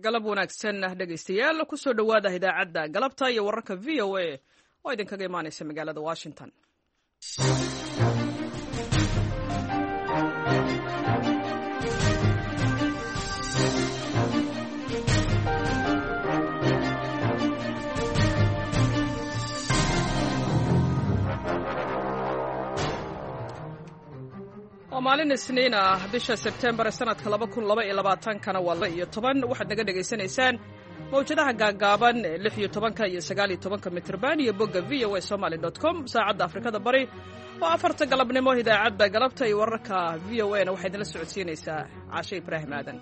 Galab wanaagsan dhegaystayaal, kusoo dhowaada idaacadda galabta iyo wararka VOA oo idinkaga imaanaysa magaalada Washington. Waa maalin Isniin ah, bisha Sebtembar sanadka 2022-kana waa 12. Waxaad naga dhegaysanaysaan mawjadaha gaaggaaban ee 16-ka iyo 19-ka mitrban iyo bogga voasomaly.com. Saacadda Afrikada Bari oo 4-ta galabnimo. Idaacadda galabta iyo wararka VOA na waxaa idinla socodsiinaysaa Caashe Ibraahim Aadan.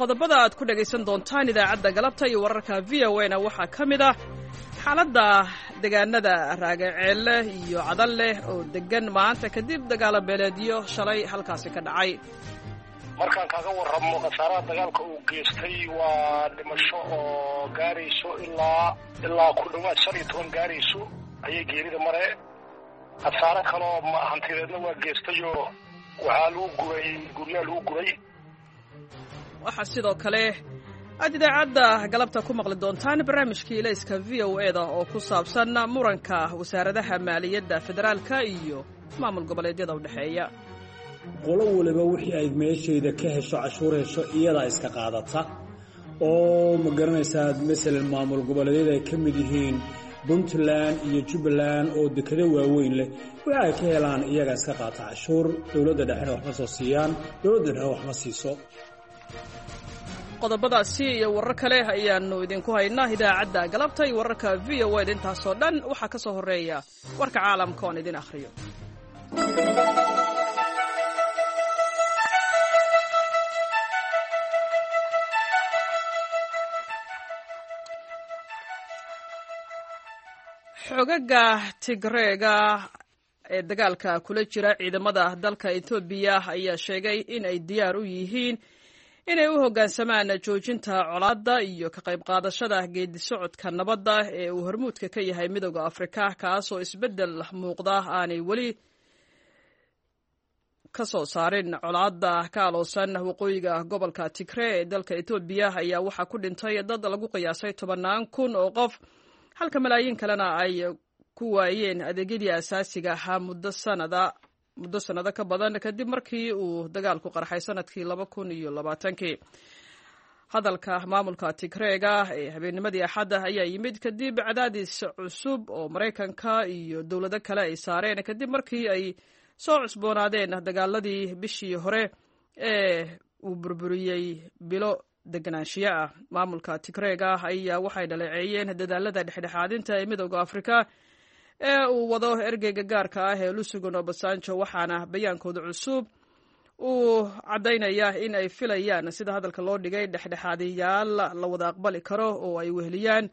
Qodobada aad ku dhegaysan doontaan idaacadda galabta iyo wararka VOA na waxaa ka mid ah xaaladda deegaanada Raagaceelle iyo Cadalleh oo deggan maanta kadib dagaalo beeleedyo shalay halkaasi ka dhacay. Markaan kaaga warramo khasaaraha dagaalka uu geystay, waa dhimasho oo gaarayso ilaa ku dhowaad 15 gaarayso ayay geerida mare. Khasaare kaloo hantideedna waa geystayoo waxaa lagu guray guryaha lagu guray. Waxaa sidoo kale aad idaacadda galabta ku maqli doontaan barnaamijkii ilayska VOA da oo ku saabsan muranka wasaaradaha maaliyadda federaalka iyo maamul goboleedyada u dhexeeya. Qolo waliba wixii ay meeshayda ka hesho, cashuur hesho, iyadaa iska qaadata oo ma garanaysaa. Masalan, maamul goboleedyada ay ka mid yihiin Puntland iyo Jubbaland oo dekado waaweyn leh, wixii ay ka helaan iyagaa iska qaata cashuur. Dowladda dhexena waxma soo siiyaan, dowladda dhexena waxma siiso. Qodobadaasi iyo warar kale ayaannu idinku haynaa idaacadda galabta iyo wararka VOA da. Intaasoo dhan waxaa ka soo horreeya warka caalamka oon idin akhriyo. Xogaga Tigreega ee dagaalka kula jira ciidamada dalka Etoobiya ayaa sheegay in ay diyaar u yihiin inay u hoggaansamaan joojinta colaadda iyo ka qayb qaadashada geedi socodka nabadda ee uu hormuudka ka yahay Midooda Afrika, kaasoo isbeddel muuqda aanay weli ka soo saarin. Colaadda ka aloosan waqooyiga gobolka Tigre ee dalka Etoobiya ayaa waxaa ku dhintay dad lagu qiyaasay tobannaan kun oo qof, halka malaayiin kalena ay ku waayeen adeegyadii asaasiga ahaa muddo sannado ka badan kadib markii uu dagaalku qarxay sanadkii 2020-kii. Hadalka maamulka Tigreega ee habeennimadii Axadda ayaa yimid kadib cadaadis cusub oo Maraykanka iyo dowlado kale ay saareen, kadib markii ay soo cusboonaadeen dagaaladii bishii hore ee uu burburiyey bilo deganaanshiyo ah. Maamulka Tigreega ayaa waxay dhaleeceeyeen dadaalada dhexdhexaadinta ee Midooda Afrika ee uu wado ergeyga gaarka ah ee Olusegun Obasanjo, waxaana bayaankooda cusub uu caddaynaya in ay filayaan, sida hadalka loo dhigay, dhexdhexaadiyaal la wada aqbali karo oo ay weheliyaan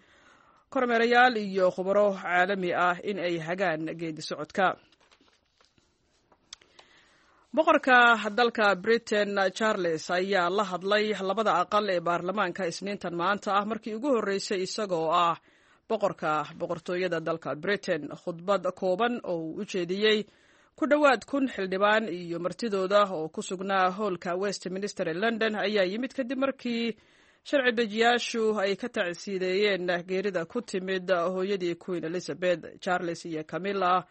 kormeerayaal iyo khubaro caalami ah in ay hagaan geedi socodka. Boqorka dalka Britain Charles ayaa la hadlay labada aqal ee baarlamaanka Isniintan maanta ah, markii ugu horreysay isagoo ah boqorka boqortooyada dalka Britain. Khudbad kooban oo uu u jeediyey ku dhowaad 1000 xildhibaan iyo martidooda oo ku sugnaa hoolka Westminster ee London ayaa yimid kadib markii sharci dejiyaashu ay ka tacsiideeyeen geerida ku timid hooyadii Queen Elizabeth. Charles iyo Camilla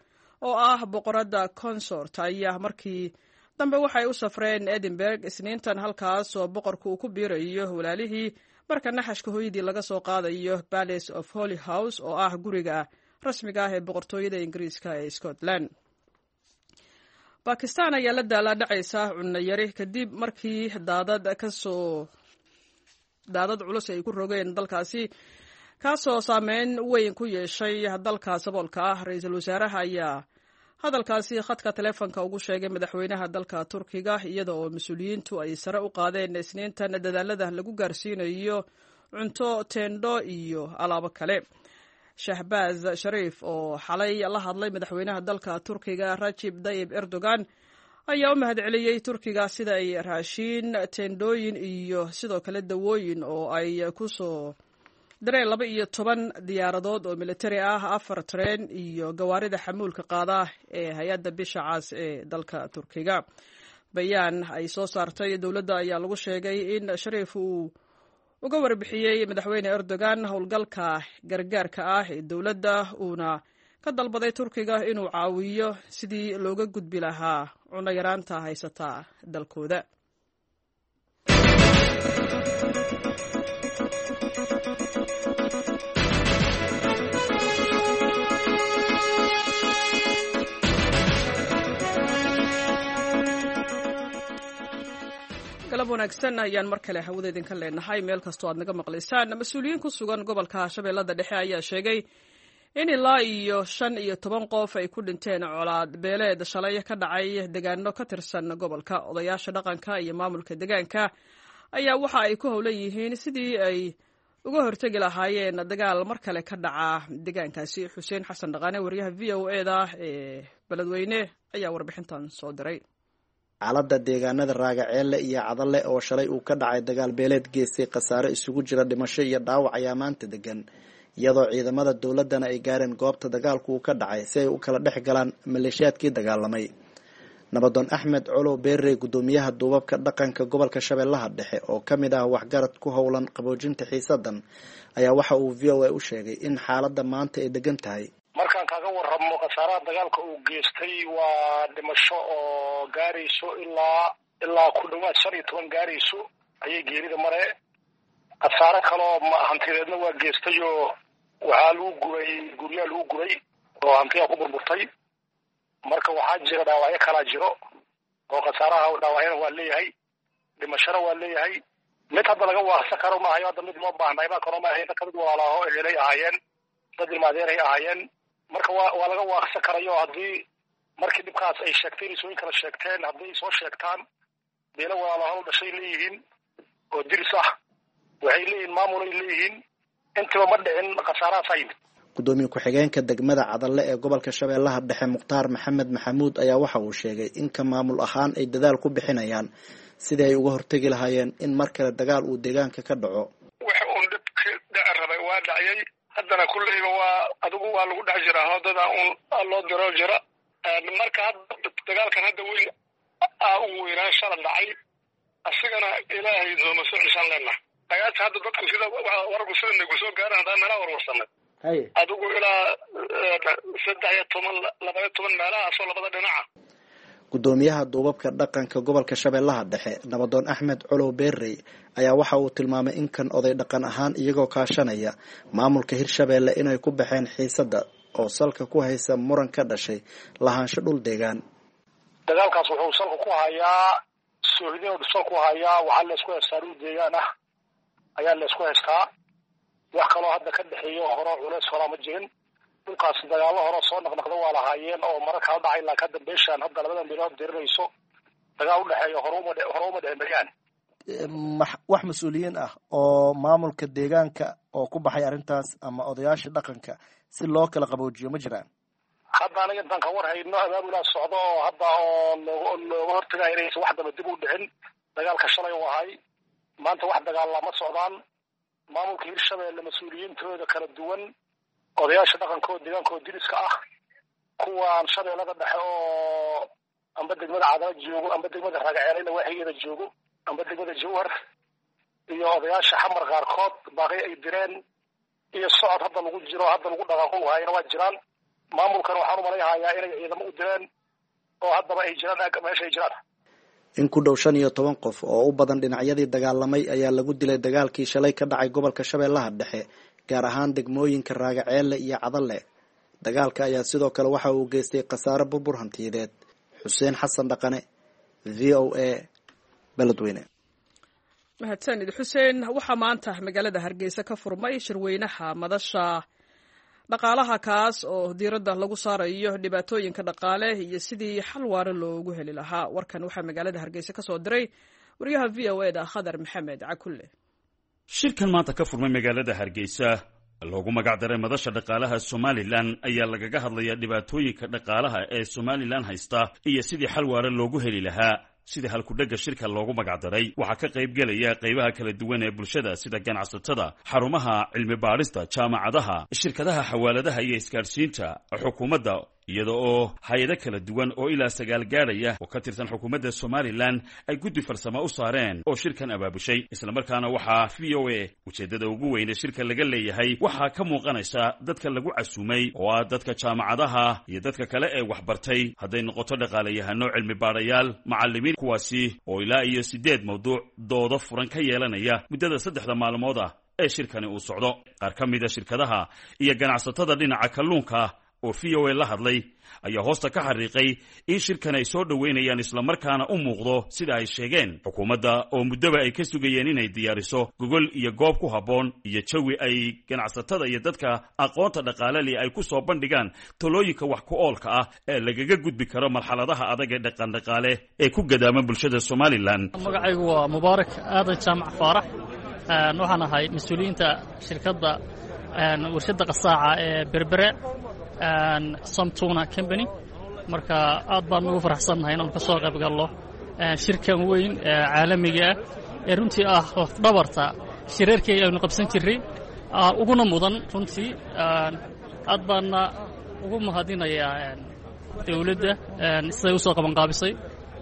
oo ah boqoradda consort ayaa markii dambe waxay u safreen Edinburg Isniintan, halkaas oo boqorku uu ku biirayo walaalihii marka naxashka hooyadii laga soo qaadayo Palace of Holyrood oo ah guriga rasmiga ah ee boqortooyada Ingiriiska ee Scotland. Bakistan ayaa la daalaadhacaysa cunno yari kadib markii daadad culus ay ku rogeen dalkaasi, kaasoo saameyn weyn ku yeeshay dalka saboolka ah. Ra-iisul wasaaraha ayaa hadalkaasi khadka taleefonka ugu sheegay madaxweynaha dalka Turkiga, iyada oo mas-uuliyiintu ay sare u qaadeen Isniintan dadaalada lagu gaarsiinayo cunto, teendho iyo alaabo kale. Shahbaaz Shariif oo xalay la hadlay madaxweynaha dalka Turkiga Rajib Dayib Erdogan ayaa u mahadceliyey Turkiga sida ay raashiin, teendhooyin iyo sidoo kale dawooyin oo ay ku soo direen 12 diyaaradood oo militari ah, 4 tareen iyo gawaarida xamuulka qaada ee hay-adda Bisha Cas ee dalka Turkiga. Bayaan ay soo saartay dowladda ayaa lagu sheegay in Shariif uu uga warbixiyey Madaxweyne Erdogan howlgalka gargaarka ah ee dowladda, uuna ka dalbaday Turkiga inuu caawiyo sidii looga gudbi lahaa cunno yaraanta haysata dalkooda. Galab wanaagsan ayaan mar kale hawada idinka leenahay meel kastoo aad naga maqlaysaan. Mas-uuliyiin ku sugan gobolka Shabeellada Dhexe ayaa sheegay in ilaa iyo 15 qof ay ku dhinteen colaad beeleed shalay ka dhacay degaano ka tirsan gobolka. Odayaasha dhaqanka iyo maamulka degaanka ayaa waxa ay ku howlan yihiin sidii ay uga hortegi lahaayeen dagaal mar kale ka dhaca degaankaasi. Xuseen Xasan Dhaqaane, wariyaha v o e da ee Beledweyne, ayaa warbixintan soo diray. Xaaladda deegaanada Raagaceelle iyo Cadalle oo shalay uu ka dhacay dagaal beeleed geystay khasaare isugu jira dhimasho iyo dhaawac ayaa maanta degan, iyadoo ciidamada dowladdana ay gaareen goobta dagaalku uu ka dhacay si ay u kala dhex galaan maleeshiyaadkii dagaalamay. Nabadoon Axmed Colow Beerey, guddoomiyaha duubabka dhaqanka gobolka Shabeellaha Dhexe oo ka mid ah waxgarad ku howlan qaboojinta xiisadan, ayaa waxa uu v o a u sheegay in xaaladda maanta ay degan tahay. Markaan kaaga warramo khasaaraha dagaalka uu geystay waa dhimasho oo gaarayso ilaa ku dhawaad 15 gaarayso ayay geerida mare. Khasaare kaloo hantideedna waa geystay oo waxaa lagu gubay guryaa lagu gubay oo hantiyaa ku burburtay. Marka waxaa jira dhaawacyo kalaa jiro oo khasaaraha dhaawacyana waa leeyahay, dhimashona waa leeyahay. Mid hadda laga waaqsan karo maahayo, hadda mid loo baahnay baa karo maahay. Dadka mid walaalaaho ehelay ahaayeen, dad ilmaadeeray ahaayeen. Marka waa laga waaqsan karayo haddii markii dhibkaas ay sheegteen isooyin kala sheegteen, hadday soo sheegtaan beelo walaalaho dhashay leeyihiin oo diris ah, waxay leeyihiin maamulay leeyihiin, intiba ma dhicin khasaarahaasaa yimid. Gudoomiye ku-xigeenka degmada Cadalle ee gobolka Shabeellaha Dhexe, Mukhtaar Maxamed Maxamuud, ayaa waxa uu sheegay in ka maamul ahaan ay dadaal ku bixinayaan sidii ay uga hortegi lahaayeen in mar kale dagaal uu deegaanka ka dhaco. Waxa uun dhibki dhici rabay waa dhacyay, haddana kulleyba waa adigu waa lagu dhex jiraa hodada uun loo diro jira. Marka hadda dagaalkan hadda weyn aa ugu weynaan shala dhacay, asigana ilaahay nooma soo ceshaan leenaha. Dagaalka hadda dadku sida wararku sida nagu soo gaaran haddaan meelaha warwarsanay adigu ilaa 13, 12 meelahaasoo labada dhinaca. Guddoomiyaha duubabka dhaqanka gobolka Shabeellaha Dhexe, Nabadoon Axmed Colow Beerey, ayaa waxa uu tilmaamay in kan oday dhaqan ahaan iyagoo kaashanaya maamulka Hirshabeelle inay ku baxeen xiisadda oo salka ku haysa muran ka dhashay lahaansho dhul deegaan. Dagaalkaas wuxuu salka ku hayaa soohidin sal ku hayaa, waxaa laysku haystaa dhul deegaan ah ayaa laysku haystaa. Wax kaloo hadda ka dhexeeyo hore culeys horaa ma jirin. Dhulkaas dagaallo hore soo naqnaqda waa lahaayeen oo marar kala dhacay, laakiin hadda beeshaan hadda labadan bilood dirinayso dagaal udhexeeyo hore uma dhicin beryahan. Wax mas-uuliyiin ah oo maamulka deegaanka oo ku baxay arrintaas ama odayaasha dhaqanka si loo kala qaboojiyo ma jiraan? Hadda aniga intaan ka war hayno abaabulaa socdo oo hadda oo looga hortagaya inaysan wax daba dib u dhicin. Dagaalka shalay u ahay, maanta wax dagaalla ma socdaan. Maamulka Hirshabeelle mas-uuliyiintooda kala duwan, odayaasha dhaqankooda deegaankooda diriska ah, kuwaan Shabeellada Dhexe oo amba degmada Cadala joogo, amba degmada Raagaceeleyna waaxigeeda joogo, amba degmada Jawhar, iyo odayaasha Xamar qaarkood baaqi ay direen iyo socod hadda lagu jiro hadda lagu dhaqaaqo haayana waa jiraan. Maamulkan waxaan umalayhayaa inay ciidamo u direen oo haddaba ay jiraan meesha ay jiraan. In ku dhow 15 qof oo u badan dhinacyadii dagaalamay ayaa lagu dilay dagaalkii shalay ka dhacay gobolka Shabeellaha Dhexe, gaar ahaan degmooyinka Raagaceelle iyo Cadalle. Dagaalka ayaa sidoo kale waxa uu geystay khasaare burbur hantiyadeed. Xuseen Xasan Dhaqane, v o a, Beledweyne. Mahadsanid Xuseen. Waxaa maanta magaalada Hargeysa ka furmay shirweynaha madasha dhaqaalaha, kaas oo diiradda lagu saarayo dhibaatooyinka dhaqaale iyo sidii xal waara loogu heli lahaa. Warkan waxaa magaalada Hargeysa ka soo diray wariyaha v o e da Khadar Maxamed Cakulle. Shirkan maanta ka furmay magaalada Hargeysa Loogu magac daray Madasha Dhaqaalaha Somalilan ayaa lagaga hadlayaa dhibaatooyinka dhaqaalaha ee Somalilan haysta iyo sidii xal waara loogu heli lahaa. Sida halkudhegga shirka loogu magacdaray, waxaa ka qayb gelaya qaybaha kala duwan ee bulshada, sida ganacsatada, xarumaha cilmi baadhista, jaamacadaha, shirkadaha xawaaladaha iyo isgaadhsiinta, xukuumadda, iyada oo hay-ado kala duwan oo ilaa 9 gaadhaya oo ka tirsan xukuumadda Somalilan ay guddi farsamo u saareen oo shirkan abaabushay. Islamarkaana waxaa VOA ujeeddada ugu weyne shirka laga leeyahay waxaa ka muuqanaysa dadka lagu casuumay, oo ah dadka jaamacadaha iyo dadka kale ee waxbartay, hadday noqoto dhaqaalayahano, cilmi baadhayaal, macallimiin, kuwaasi oo ilaa iyo 8 mawduuc doodo furan ka yeelanaya muddada 3da maalmood ah ee shirkani uu socdo. Qaar ka mida shirkadaha iyo ganacsatada dhinaca kalluunka oo VOA la hadlay ayaa hoosta ka xariiqay in shirkan ay soo dhoweynayaan, islamarkaana u muuqdo, sida ay sheegeen, xukuumadda oo muddoba ay ka sugayeen inay diyaariso gogol iyo goob ku habboon iyo jawi ay ganacsatada iyo dadka aqoonta dhaqaaleli ay ku soo bandhigaan talooyinka wax ku oolka ah ee lagaga gudbi karo marxaladaha adag ee dhaqandhaqaale ee ku gadaaman bulshada Somalilan. Magacaygu waa Mubaarak Aadan Jaamac Faarax. Waxaan ahay mas-uuliyiinta shirkadda warshadda qasaaca ee Berbere, Somtuna Company. Marka aad baan ugu faraxsannahay inaanu ka soo qayb gallo shirkan weyn ee caalamiga ah ee runtii ah lafdhabarta shirarkii aynu qabsan jirray uguna mudan. Runtii aad baanna ugu mahadinayaa dawladda siday u soo qabanqaabisay,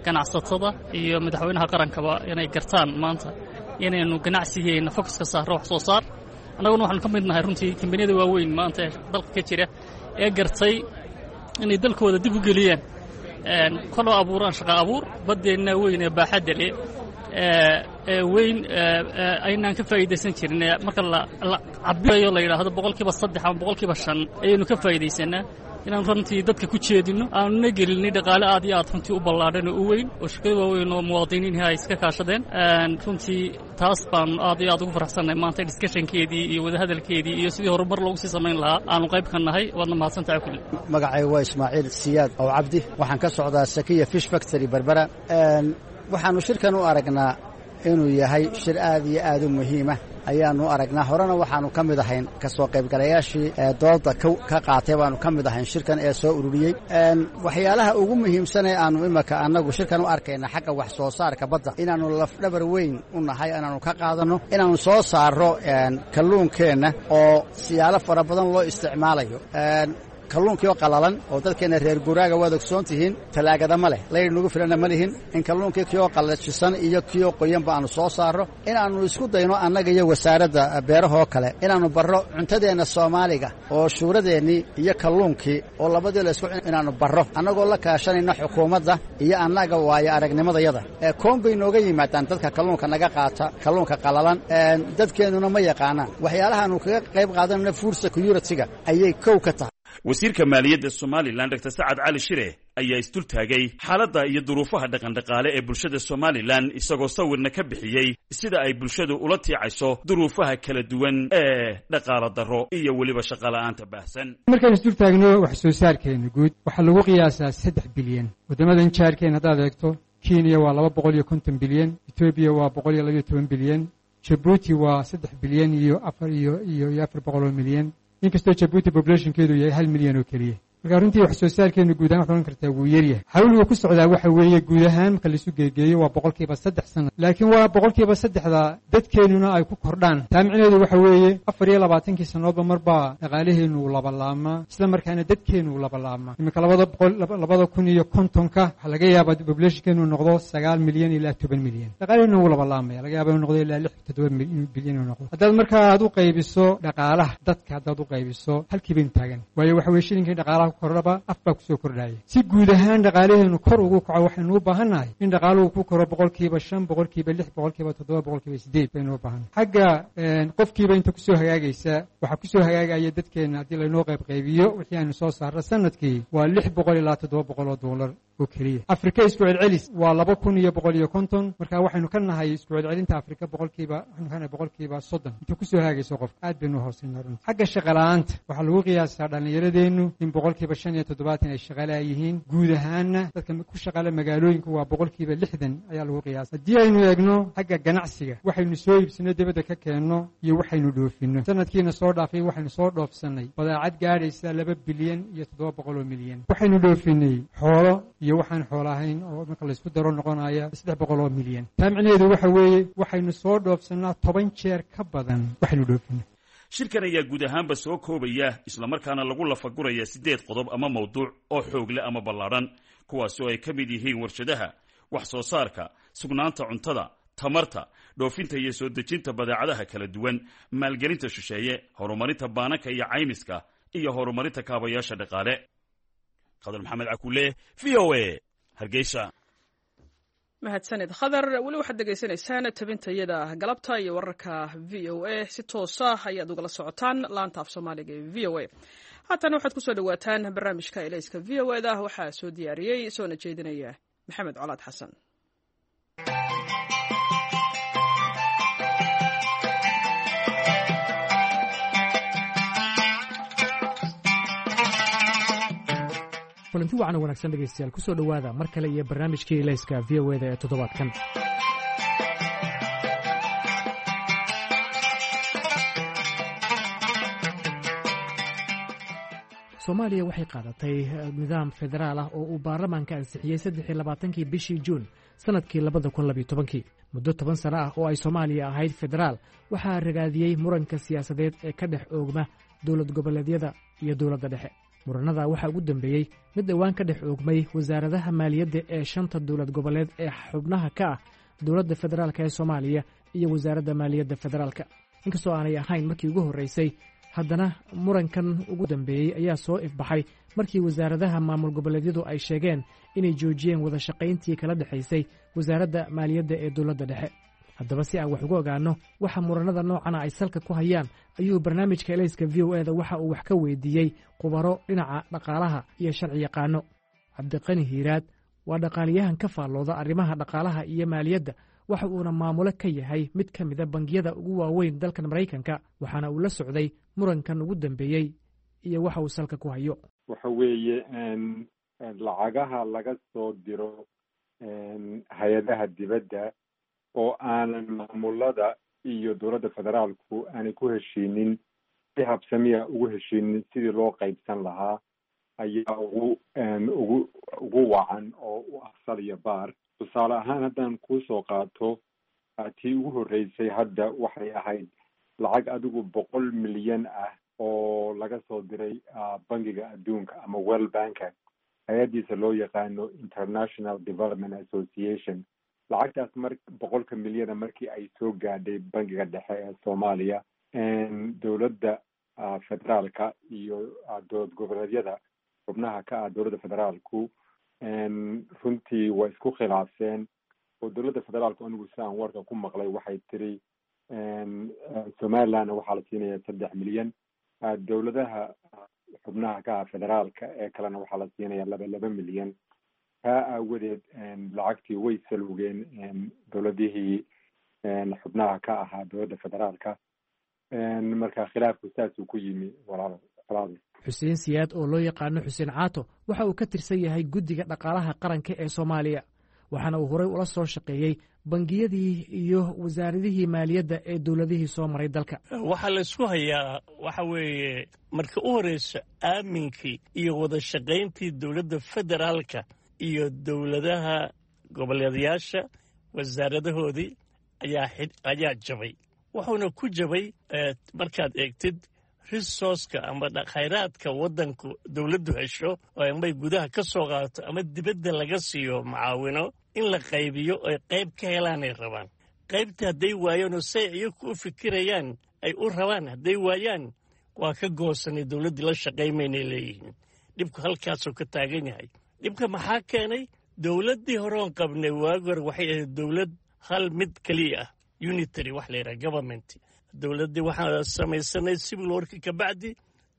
ganacsatada iyo madaxweynaha qarankaba inay gartaan maanta inaynu ganacsigeenna focuska saarro wax soo saar. Annaguna waxaanu ka mid nahay runtii kambaniyada waaweyn maanta ee dalka ka jira ee gartay inay dalkooda dib u geliyaan, kaloo abuuraan shaqa abuur. Baddeenna weyn ee baaxadda leh ee weyn aynaan ka faa'iidaysan jirin, marka la cabirayo la yidhaahdo 3% ama 5% ayaynu ka faa'iidaysanaa, inaan runtii dadka ku jeedinno, aanuna gelinay dhaqaale aad iyo aad runtii u ballaadhan oo u weyn oo shirkado waaweyn oo muwaadiniinhi ay iska kaashadeen. Runtii taas baanu aad iyo aad ugu faraxsannahay maanta discussionkeedii iyo wadahadalkeedii iyo sidii horumar loogu sii samayn lahaa aanu qayb ka nahay. Waadna mahadsantahay kulli. Magacaygu waa Ismaaciil Siyaad Ow Cabdi. Waxaan ka socdaa Sakiya Fish Factory, Berbera. Waxaannu shirkan u aragnaa inuu yahay shir aad iyo aad u muhiima ayaannu aragnaa. Horena waxaannu ka mid ahayn ka soo qaybgalayaashii dooda ka qaatay baannu ka mid ahayn shirkan ee soo ururiyey. Waxyaalaha ugu muhiimsan ee aannu imaka annagu shirkan u arkayna xagga wax soo saarka badda, inaannu lafdhabar weyn u nahay, inaannu ka qaadanno, inaannu soo saarro kalluunkeenna oo siyaalo fara badan loo isticmaalayo, kalluunkii oo qalalan oo dadkeenna reer guraaga waad ogsoon tihiin, talaagada ma leh, layr nagu filana ma lihin, in kalluunkii kioo qallajisan iyo kioo qoyanba aannu soo saarro, inaannu isku dayno annaga iyo wasaaradda beerahoo kale inaannu barro cuntadeenna Soomaaliga oo shuuradeennii iyo kalluunkii oo labadii la isku, inaannu barro annagoo la kaashanayna xukuumadda iyo annaga waayo aragnimadayada. Koon bay nooga yimaadaan dadka kalluunka naga qaata, kalluunka qalalan dadkeennuna ma yaqaanaan. Waxyaalahaannu kaga qayb qaadanayno food security-ga ayay kow ka tahay. Wasiirka maaliyadda Somalilan, Dr Sacad Cali Shire, ayaa isdultaagay xaaladda iyo duruufaha dhaqandhaqaale ee bulshada Somalilan, isagoo sawirna ka bixiyey sida ay bulshadu ula tiicayso duruufaha kala duwan ee dhaqaalo darro iyo weliba shaqola'aanta baahsan. Markaan isdultaagno wax soo saarkeena guud, waxaa lagu qiyaasaa 3 bilyan. Waddamadan jaarkeen haddaad eegto, Kenya waa 250 bilyan, Etoobiya waa 112 bilyan, Jabuuti waa 3 bilyan iyo afar iyo 400 milyan, inkastoo Jabuuti populationkeedu yahay 1 milyan oo keliya. Marka runtii wax soo saarkeenu guud ahaan waxaad ohan kartaa wuu yaryahay. Xawliga ku socdaa waxa weeye guud ahaan marka laisu geegeeyo waa 3% sanad, laakiin waa 3%-da dadkeennuna ay ku kordhaan. Taa micnaheedu waxa weeye 24kii sannadoodba marbaa dhaqaalaheenu uu labalaamaa, isla markaana dadkeenu uu labalaamaa. Iminka 2050-ka waxaa laga yaabaa populationkeenu noqdo 9 milyan ilaa 10 milyan. Dhaqaalaheenu wuu labalaamaya, laga yaaba inuu noqdo ilaa 6, 7 bilyan inuu noqdo. Haddaad markaa aad u qaybiso dhaqaalaha dadka, haddaad u qaybiso halkii baynu taagan, waayo waxa weye shilinkii dhaqaalaha kordhaba af baa kusoo kordhaya. Si guud ahaan dhaqaalaheenu kor ugu kaco, waxaynu u baahannahay in dhaqaaluhu ku koro 5%, 6%, 7%, 8% baynu u baahannahay. Xagga qofkiiba inta kusoo hagaagaysa, waxaa kusoo hagaagaya dadkeenna haddii laynoo qaybqaybiyo wixii aynu soo saarno sanadkii waa 600 ilaa 700 oo doolar oo keliya. Afrika isku celcelis waa 2150. Marka waxaynu ka nahay isku celcelinta Afrika boqolkiiba, waxaynu ka nahay 30% inta kusoo hagaagayso qofka. Aad baynu hoosayna runti. Xagga shaqala'aanta waxaa lagu qiyaasaa dhallinyaradeennu in boqolkiiba 75% ay shaqalaa yihiin. Guud ahaanna dadka ku shaqala magaalooyinka waa 60% ayaa lagu qiyaasa. Haddii aynu eegno xagga ganacsiga, waxaynu soo iibsano dibadda ka keenno iyo waxaynu dhoofinno, sanadkiina soo dhaafay waxaynu soo dhoofsannay badeecad gaadhaysa 2 bilyan iyo 700 milyan. Waxaynu dhoofinay xoolo iyo waxaan xoolo ahayn oo marka laysku daro noqonaya 300 milyan. Taa micnaheedu waxa weeye waxaynu soo dhoofsannaa 10 jeer ka badan waxaynu dhoofinno. Shirkan ayaa guud ahaanba soo koobaya islamarkaana lagu lafaguraya 8 qodob ama mawduuc oo xoog leh ama ballaadhan, kuwaasi oo ay ka mid yihiin warshadaha, wax soo saarka, sugnaanta cuntada, tamarta, dhoofinta iyo soo dejinta badeecadaha kala duwan, maalgelinta shisheeye, horumarinta baananka iyo caymiska, iyo horumarinta kaabayaasha dhaqaale. Khadar Maxamed Cakuule, V O A, Hargeysa. Mahadsanid Khadar. Weli waxaad degeysanaysaan tabintayada galabta iyo wararka V O A. Si toosa ayaad ugala socotaan laanta af Soomaaliga ee V O A. Haatana waxaad kusoo dhawaataan barnaamijka Elayska V O A da. Waxaa soo diyaariyey soona jeedinaya Maxamed Colaad Xasan. Kulanti wacan oo wanaagsan dhegaystayaal, kusoo dhowaada mar kale iyo barnaamijkii Elayska V O eda ee toddobaadkan. Soomaaliya waxay qaadatay nidaam federaal ah oo uu baarlamaanka ansixiyey 23-kii bishii Juun sannadkii 2012-kii. Muddo 10 sano ah oo ay Soomaaliya ahayd federaal, waxaa ragaadiyey muranka siyaasadeed ee ka dhex oogma dowlad goboleedyada iyo dowladda dhexe. Muranada waxaa ugu dambeeyey mid dhowaan ka dhex oogmay wasaaradaha maaliyadda ee shanta dowlad goboleed ee xubnaha ka ah dowladda federaalk ee Soomaaliya iyo wasaaradda maaliyadda federaalka. Inkastoo aanay ahayn markii ugu horreysay, haddana murankan ugu dambeeyey ayaa soo ifbaxay markii wasaaradaha maamul goboleedyadu ay sheegeen inay joojiyeen wada shaqayntii kala dhexaysay wasaaradda maaliyadda ee dowladda dhexe. Haddaba, si aan wax uga ogaanno waxa muranada noocana ay salka ku hayaan, ayuu barnaamijka Elayska V O eda waxa uu wax ka weydiiyey khubaro dhinaca dhaqaalaha iyo sharci yaqaano. Cabdiqani Hiiraad waa dhaqaaliyahan ka faallooda arrimaha dhaqaalaha iyo maaliyadda, waxa uuna maamulo ka yahay mid ka mida bangiyada ugu waaweyn dalkan Maraykanka, waxaana uu la socday murankan ugu dambeeyey iyo waxa uu salka ku hayo. Waxa weeye lacagaha laga soo diro hay-adaha dibadda oo aanan maamulada iyo dowladda federaalku aanay ku heshiinin, si habsamiya ugu heshiinin sidii loo qaybsan lahaa, ayaa ugu wacan oo u afsaliya baar. Tusaale ahaan, haddaan kuusoo qaato tii ugu horreysay, hadda waxay ahayd lacag adigu 100 milyan ah oo laga soo diray Bangiga Adduunka ama World Banka, hay-addiisa loo yaqaano International Development Association. Lacagtaas mar 100-ka milyana markii ay soo gaadhay Bangiga Dhexe ee Soomaaliya, dowladda federaalka iyo dowlad goboleedyada xubnaha ka ah dowladda federaalku runtii waa isku khilaafseen, oo dowladda federaalku, anigu si aan warka ku maqlay, waxay tiri Somalilandna waxaa la siinaya 3 milyan, dowladaha xubnaha ka ah federaalka ee kalena waxaa la siinaya 2 milyan. Taa aawadeed lacagtii way salugeen dowladihii xubnaha ka ahaa dowladda federaalka. Marka khilaafku saasuu ku yimi, walaal walaal. Xuseen Siyaad oo loo yaqaano Xuseen Caato waxa uu ka tirsan yahay guddiga dhaqaalaha qaranka ee Soomaaliya, waxaana uu horey ula soo shaqeeyey bangiyadii iyo wasaaradihii maaliyadda ee dowladihii soo maray dalka. Waxaa la isku hayaa waxa weeye, marka u horreysa, aaminkii iyo wada shaqayntii dowladda federaalka iyo dowladaha goboleedayaasha wasaaradahoodii ayaa jabay. Wuxuuna ku jabay, markaad eegtid resource-ka ama khayraadka waddanku dowladdu hesho oo amay gudaha ka soo qaadato ama dibadda laga siiyo macaawino, in la qaybiyo oy qayb ka helaanay rabaan. Qaybta hadday waayaan oo say iyaku u fikirayaan ay u rabaan hadday waayaan, waa ka goosanay, dowladdii la shaqaymaynay leeyihiin. Dhibku halkaasuu ka taagan yahay. Dhibka maxaa keenay? Dowladdii hore oon qabnay waagi hore waxay ahayd dowlad hal mid keliya ah, unitary wax la yidhaha government. Dowladdii waxaan samaysanay civil warki ka bacdi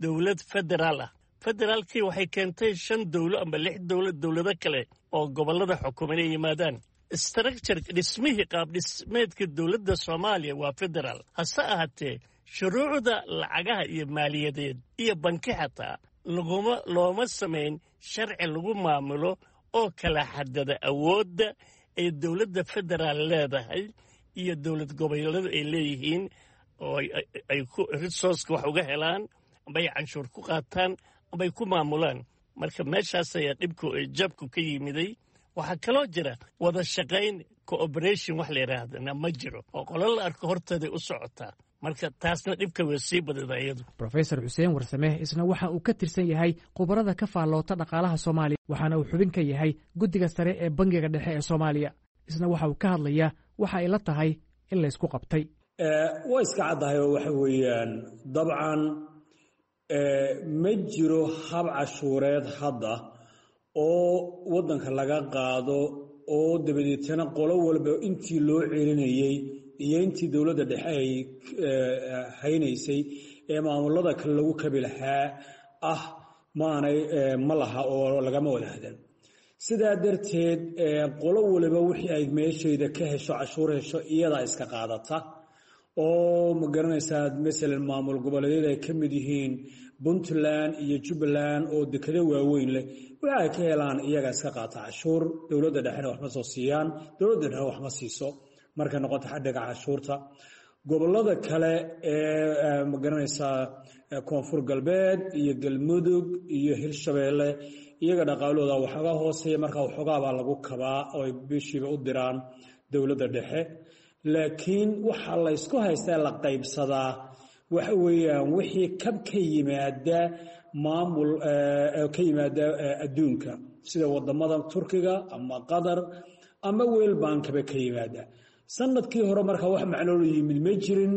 dowlad federaal ah. Federaalkii waxay keentay shan dowlo ama lix dowlo, dowlado kale oo gobollada xukuma inay yimaadaan. Structure, dhismihii, qaab dhismeedka dowladda Soomaaliya waa federaal, hase ahaatee shuruucda lacagaha iyo maaliyadeed iyo banki xataa Laguma looma samayn sharci lagu maamulo oo kala xadada awoodda ay dowladda federaal leedahay iyo dowlad goboleedyadu ay leeyihiin, oo ay ku resourceka wax uga helaan, amba ay canshuur ku qaataan, amba ay ku maamulaan. Marka meeshaas ayaa dhibku jabku ka yimiday. Waxaa kaloo jira wada shaqayn, cooperation wax la yidhaahdana ma jiro, oo qolo la arko horteeday u socotaa. Marka taasna dhibka way sii badida iyadu. Rofesor Xuseen Warsame isna waxa uu ka tirsan yahay khubarada ka faalloota dhaqaalaha Soomaaliya, waxaana uu xubin ka yahay guddiga sare ee Bangiga Dhexe ee Soomaaliya. Isna waxa uu ka hadlayaa waxa ay la tahay in laysku qabtay. Waa iska caddahay oo waxa weeyaan, dabcan ma jiro hab cashuureed hadda oo waddanka laga qaado oo dabadeetana qolo walba intii loo celinayey iyo intii dowladda dhexe ay haynaysay ee maamulada kale lagu kabi lahaa ah maanay ma laha oo lagama wada hadan. Sidaa darteed qolo waliba wixii ay meeshayda ka hesho, cashuur hesho, iyadaa iska qaadata, oo ma garanaysaa, masalan maamul goboleedyada ay ka mid yihiin Puntland iyo Jubbaland oo dekado waaweyn leh, waxa ay ka helaan iyagaa iska qaata cashuur. Dowladda dhexena waxma soo siiyaan, dowladda dhexena waxma siiso markay noqoto xadhiga cashuurta. Gobolada kale ee, ma garanaysaa, Koonfur Galbeed iyo Galmudug iyo Hirshabeelle, iyaga dhaqaalooda waxoogaa hooseeya, markaa waxoogaabaa lagu kabaa oo ay bishiiba u diraan dowladda dhexe. Laakiin waxaa laysku haystaa, la qaybsadaa, waxa weeyaan wixii kab ka yimaada maamul ka yimaada adduunka, sida wadamada Turkiga ama Qatar ama World Bankaba ka yimaada. Sanadkii hore markaa wax macnoolo yimid ma jirin,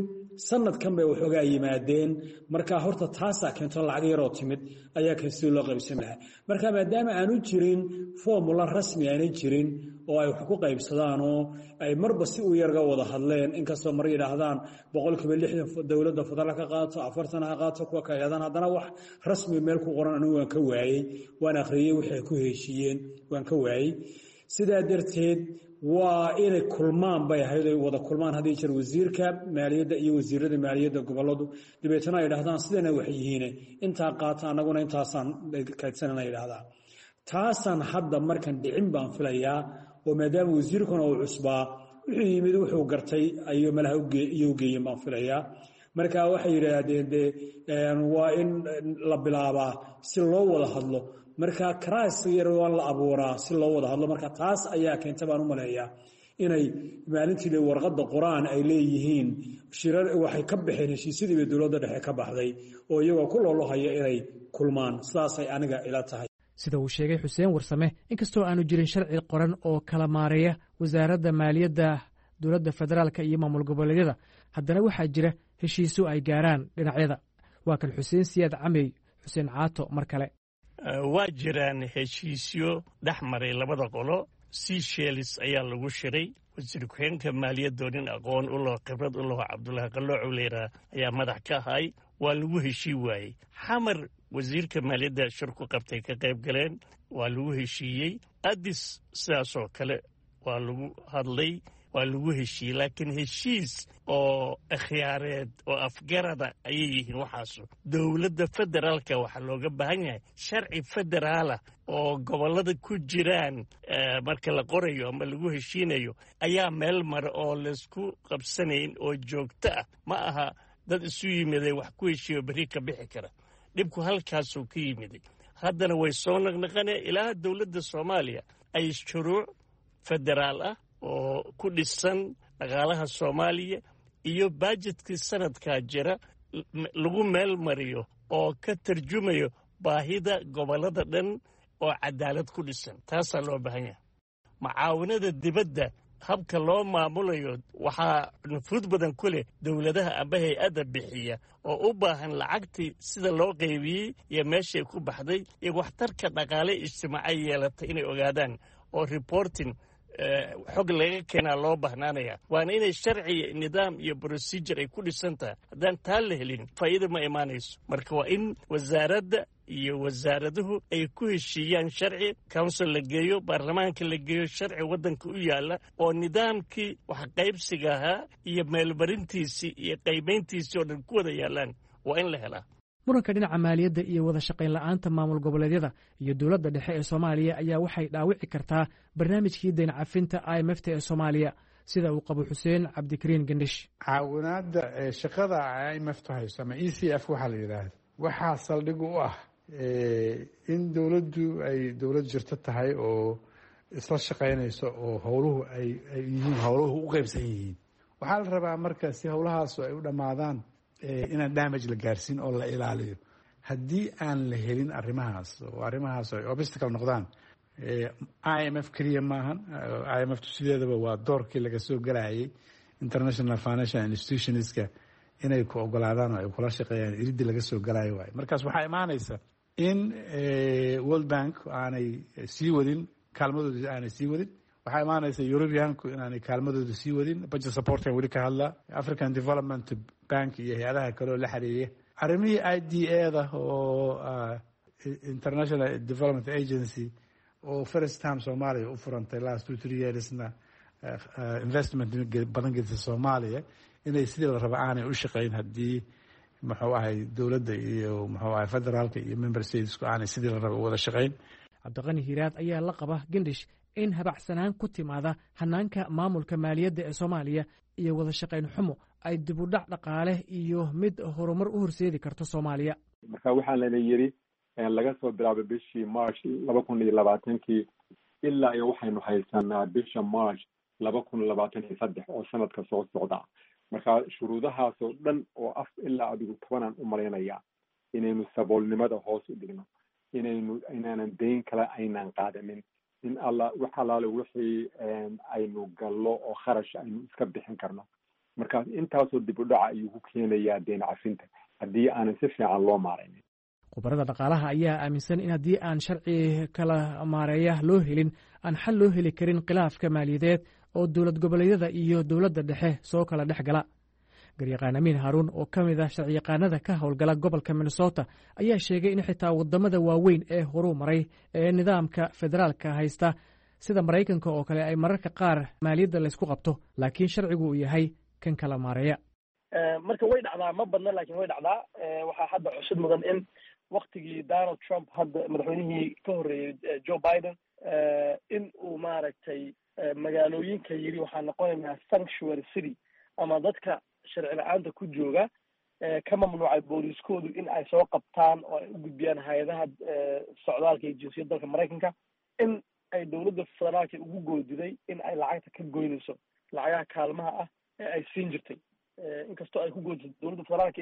sanadkan bay waxoogaa yimaadeen. Marka horta taasaa keento, lacag yaroo timid ayaa kan sidii loo qaybsan lahaa. Marka maadaama aanu jirin formula rasmi aanay jirin oo ay wax ku qaybsadaan oo ay marba si u yarga wada hadleen, inkastoo mar yidhaahdaan 60% dowladda federaal ka qaato, 40 ha qaato, kuwa ka yidhahdaan, haddana wax rasmi meel ku qoran anigu waan ka waayey. Waan akhriyey wixii ay ku heshiiyeen, waan ka waayey. Sidaa darteed waa inay kulmaan bay ahayd, ay wada kulmaan haddii jir wasiirka maaliyadda iyo wasiirada maaliyadda goboladu, dabeetana ay yidhahdaan sidana wax yihiine, intaa qaata, annaguna intaasaan kaydsanana yidhahdaan. Taasaan hadda markan dhicin baan filayaa, oo maadaama wasiirkuna uu cusbaa, wuxuu yimid wuxuu gartay ayuu malaha iyo ugeeyen baan filayaa. Marka waxay yidhaahdeen dee waa in la bilaabaa si loo wada hadlo, marka karaas yar waa la abuuraa si loo wada hadlo. Marka taas ayaa keenta baan u maleeyaa inay maalintii warqadda qoraan ay leeyihiin shirar waxay ka baxeen heshiisyadiiba dowladda dhexe ka baxday, oo iyagoo ku loolohaya inay kulmaan. Sidaasay aniga ila tahay. Sida uu sheegay Xuseen Warsame, inkastoo aanu jirin sharci qoran oo kala maareeya wasaaradda maaliyadda dowladda federaalka iyo maamul goboleedyada, haddana waxaa jira heshiisyo ay gaaraan dhinacyada. Waa kan Xuseen Siyaad Camey, Xuseen Caato, mar kale. Waa jiraan heshiisyo dhex maray labada qolo. Seychelles ayaa lagu shiray. Wasiir ku-xigeenka maaliyadoo nin aqoon u laho, khibrad u laho, Cabdullaahi Qaloocow la yidhaha, ayaa madax ka ahay. Waa lagu heshii waayey. Xamar wasiirka maaliyadda shir ku qabtay, ka qayb galeen, waa lagu heshiiyey. Addis sidaasoo kale waa lagu hadlay, waa lagu heshiiyey. Laakiin heshiis oo ikhyaareed oo afgarada ayay yihiin waxaasu. Dowladda federaalka waxaa looga baahan yahay sharci federaala oo gobollada ku jiraan marka la qorayo ama lagu heshiinayo ayaa meel mara oo laysku qabsanayn oo joogto ah. Ma aha dad isu yimiday wax ku heshiiyo berri ka bixi kara. Dhibku halkaasuu ka yimiday, haddana way soo naqnaqaneen ilaa dowladda Soomaaliya ay shuruuc federaal ah oo ku dhisan dhaqaalaha Soomaaliya iyo bajetkii sanadkaa jira lagu meel mariyo oo ka tarjumayo baahida gobollada dhan oo cadaalad ku dhisan. Taasaa loo baahan yahay. Macaawinada dibadda habka loo maamulayo waxaa nufuud badan ku leh dowladaha amba hay-adda bixiya, oo u baahan lacagtii sida loo qaybiyey iyo meeshay ku baxday iyo waxtarka dhaqaale ijtimaacay yeelatay inay ogaadaan, oo reporting xog laga keenaa loo bahnaanaya. Waana inay sharci, nidaam iyo procedure ay ku dhisan tahay. Haddaan taa la helin, faa'iida ma imaanayso. Marka waa in wasaaradda iyo wasaaraduhu ay ku heshiiyaan sharci, council la geeyo, baarlamaanka la geeyo, sharci waddanka u yaalla oo nidaamkii wax qaybsiga ahaa iyo meelmarintiisii iyo qaybayntiisii oo dhan ku wada yaallaan waa in la helaa. Muranka dhinaca maaliyadda iyo wada shaqayn la'aanta maamul goboleedyada iyo dowladda dhexe ee Soomaaliya ayaa waxay dhaawici kartaa barnaamijkii dayn cafinta IMF-ta ee Soomaaliya, sida uu qabo Xuseen Cabdikariin Gendhish. Caawinaadda shaqada IMF-tu hayso ama ECF waxaa la yidhaahda, waxaa saldhig u ah in dowladdu ay dowlad jirto tahay oo isla shaqaynayso oo howluhu ay yihiin, howluhu u qeybsan yihiin. Waxaa la rabaa marka si howlahaas ay u dhammaadaan inaan damage la gaarsiin oo la ilaaliyo. Haddii aan la helin arrimahaas oo arrimahaas ay obstacle noqdaan, IMF keliya maahan. IMF tu sideedaba waa doorkii laga soo galayay international financial institutionska inay ku ogolaadaan oo ay kula shaqeeyaan, iridii laga soo galayo waayo. Markaas waxaa imaanaysa in World Bank aanay sii wadin kaalmadooda, aanay sii wadin. Waxaa imaanaysa Europeanku inaanay kaalmadooda sii wadin, budget supportkan weli ka hadlaa, African Development Bank iyo hay-adaha kale oo la xiriiriya arrimihii IDA da oo International Development Agency oo first time Soomaaliya u furantay last 2-3 yearsna investment badan gelisa Soomaaliya, inay sidii la raba aanay u shaqeyn haddii, muxuu ahay, dowladda iyo, muxuu ahay, federaalka iyo member statesku aanay sidii la raba u wada shaqeyn. Cabdiqani Hiiraad ayaa la qaba Gendhish in habacsanaan ku timaada hanaanka maamulka maaliyadda ee Soomaaliya iyo wada shaqayn xumo ay dibudhac dhaqaale iyo mid horumar u horseedi karto Soomaaliya. Marka waxaa lana yidhi laga soo bilaabay bishii March 2020-kii ilaa iyo waxaynu haysanaa bisha March 2023 oo sanadka soo socda. Marka shuruudahaasoo dhan oo af ilaa adigu tobanaan u malaynaya, inaynu saboolnimada hoos u dhigno, inaynu inaanan dayn kale aynaan qaadanin, in alla wax allaale wixii aynu gallo oo kharash aynu iska bixin karno. Markaas intaasoo dib u dhaca ayuu ku keenayaa deyn cafinta haddii aanan si fiican loo maaraynin. Khubarada dhaqaalaha ayaa aaminsan in haddii aan sharci kala maareeya loo helin, aan xal loo heli karin khilaafka maaliyadeed oo dowlad goboleedyada iyo dowladda dhexe soo kala dhex gala. Garyaqaan Amiin Haaruun oo ka mid ah sharciyaqaanada ka howlgala gobolka Minnesota ayaa sheegay in xitaa wadamada waaweyn ee horuu maray ee nidaamka federaalka haysta, sida Maraykanka oo kale, ay mararka qaar maaliyadda laysku qabto, laakiin sharcigu uu yahay kan kala maareeya. Marka way dhacdaa, ma badna, laakiin way dhacdaa. Waxaa hadda xusid mudan in waktigii Donald Trump, hadda madaxweynihii ka horreeyey Joe Biden, in uu, maaragtay, magaalooyinka yiri waxaa noqonaynaa sanctuary city ama dadka sharci la-aanta ku jooga ka mamnuucay booliiskoodu in ay soo qabtaan oo ay u gudbiyaan hay-adaha socdaalka iyo jinsiyadda dalka Maraykanka, in ay dowladda federaalka ugu goodiday in ay lacagta ka goynayso, lacagaha kaalmaha ah ee ay siin jirtay. Inkastoo ay ku goodisay dowladda federaalka,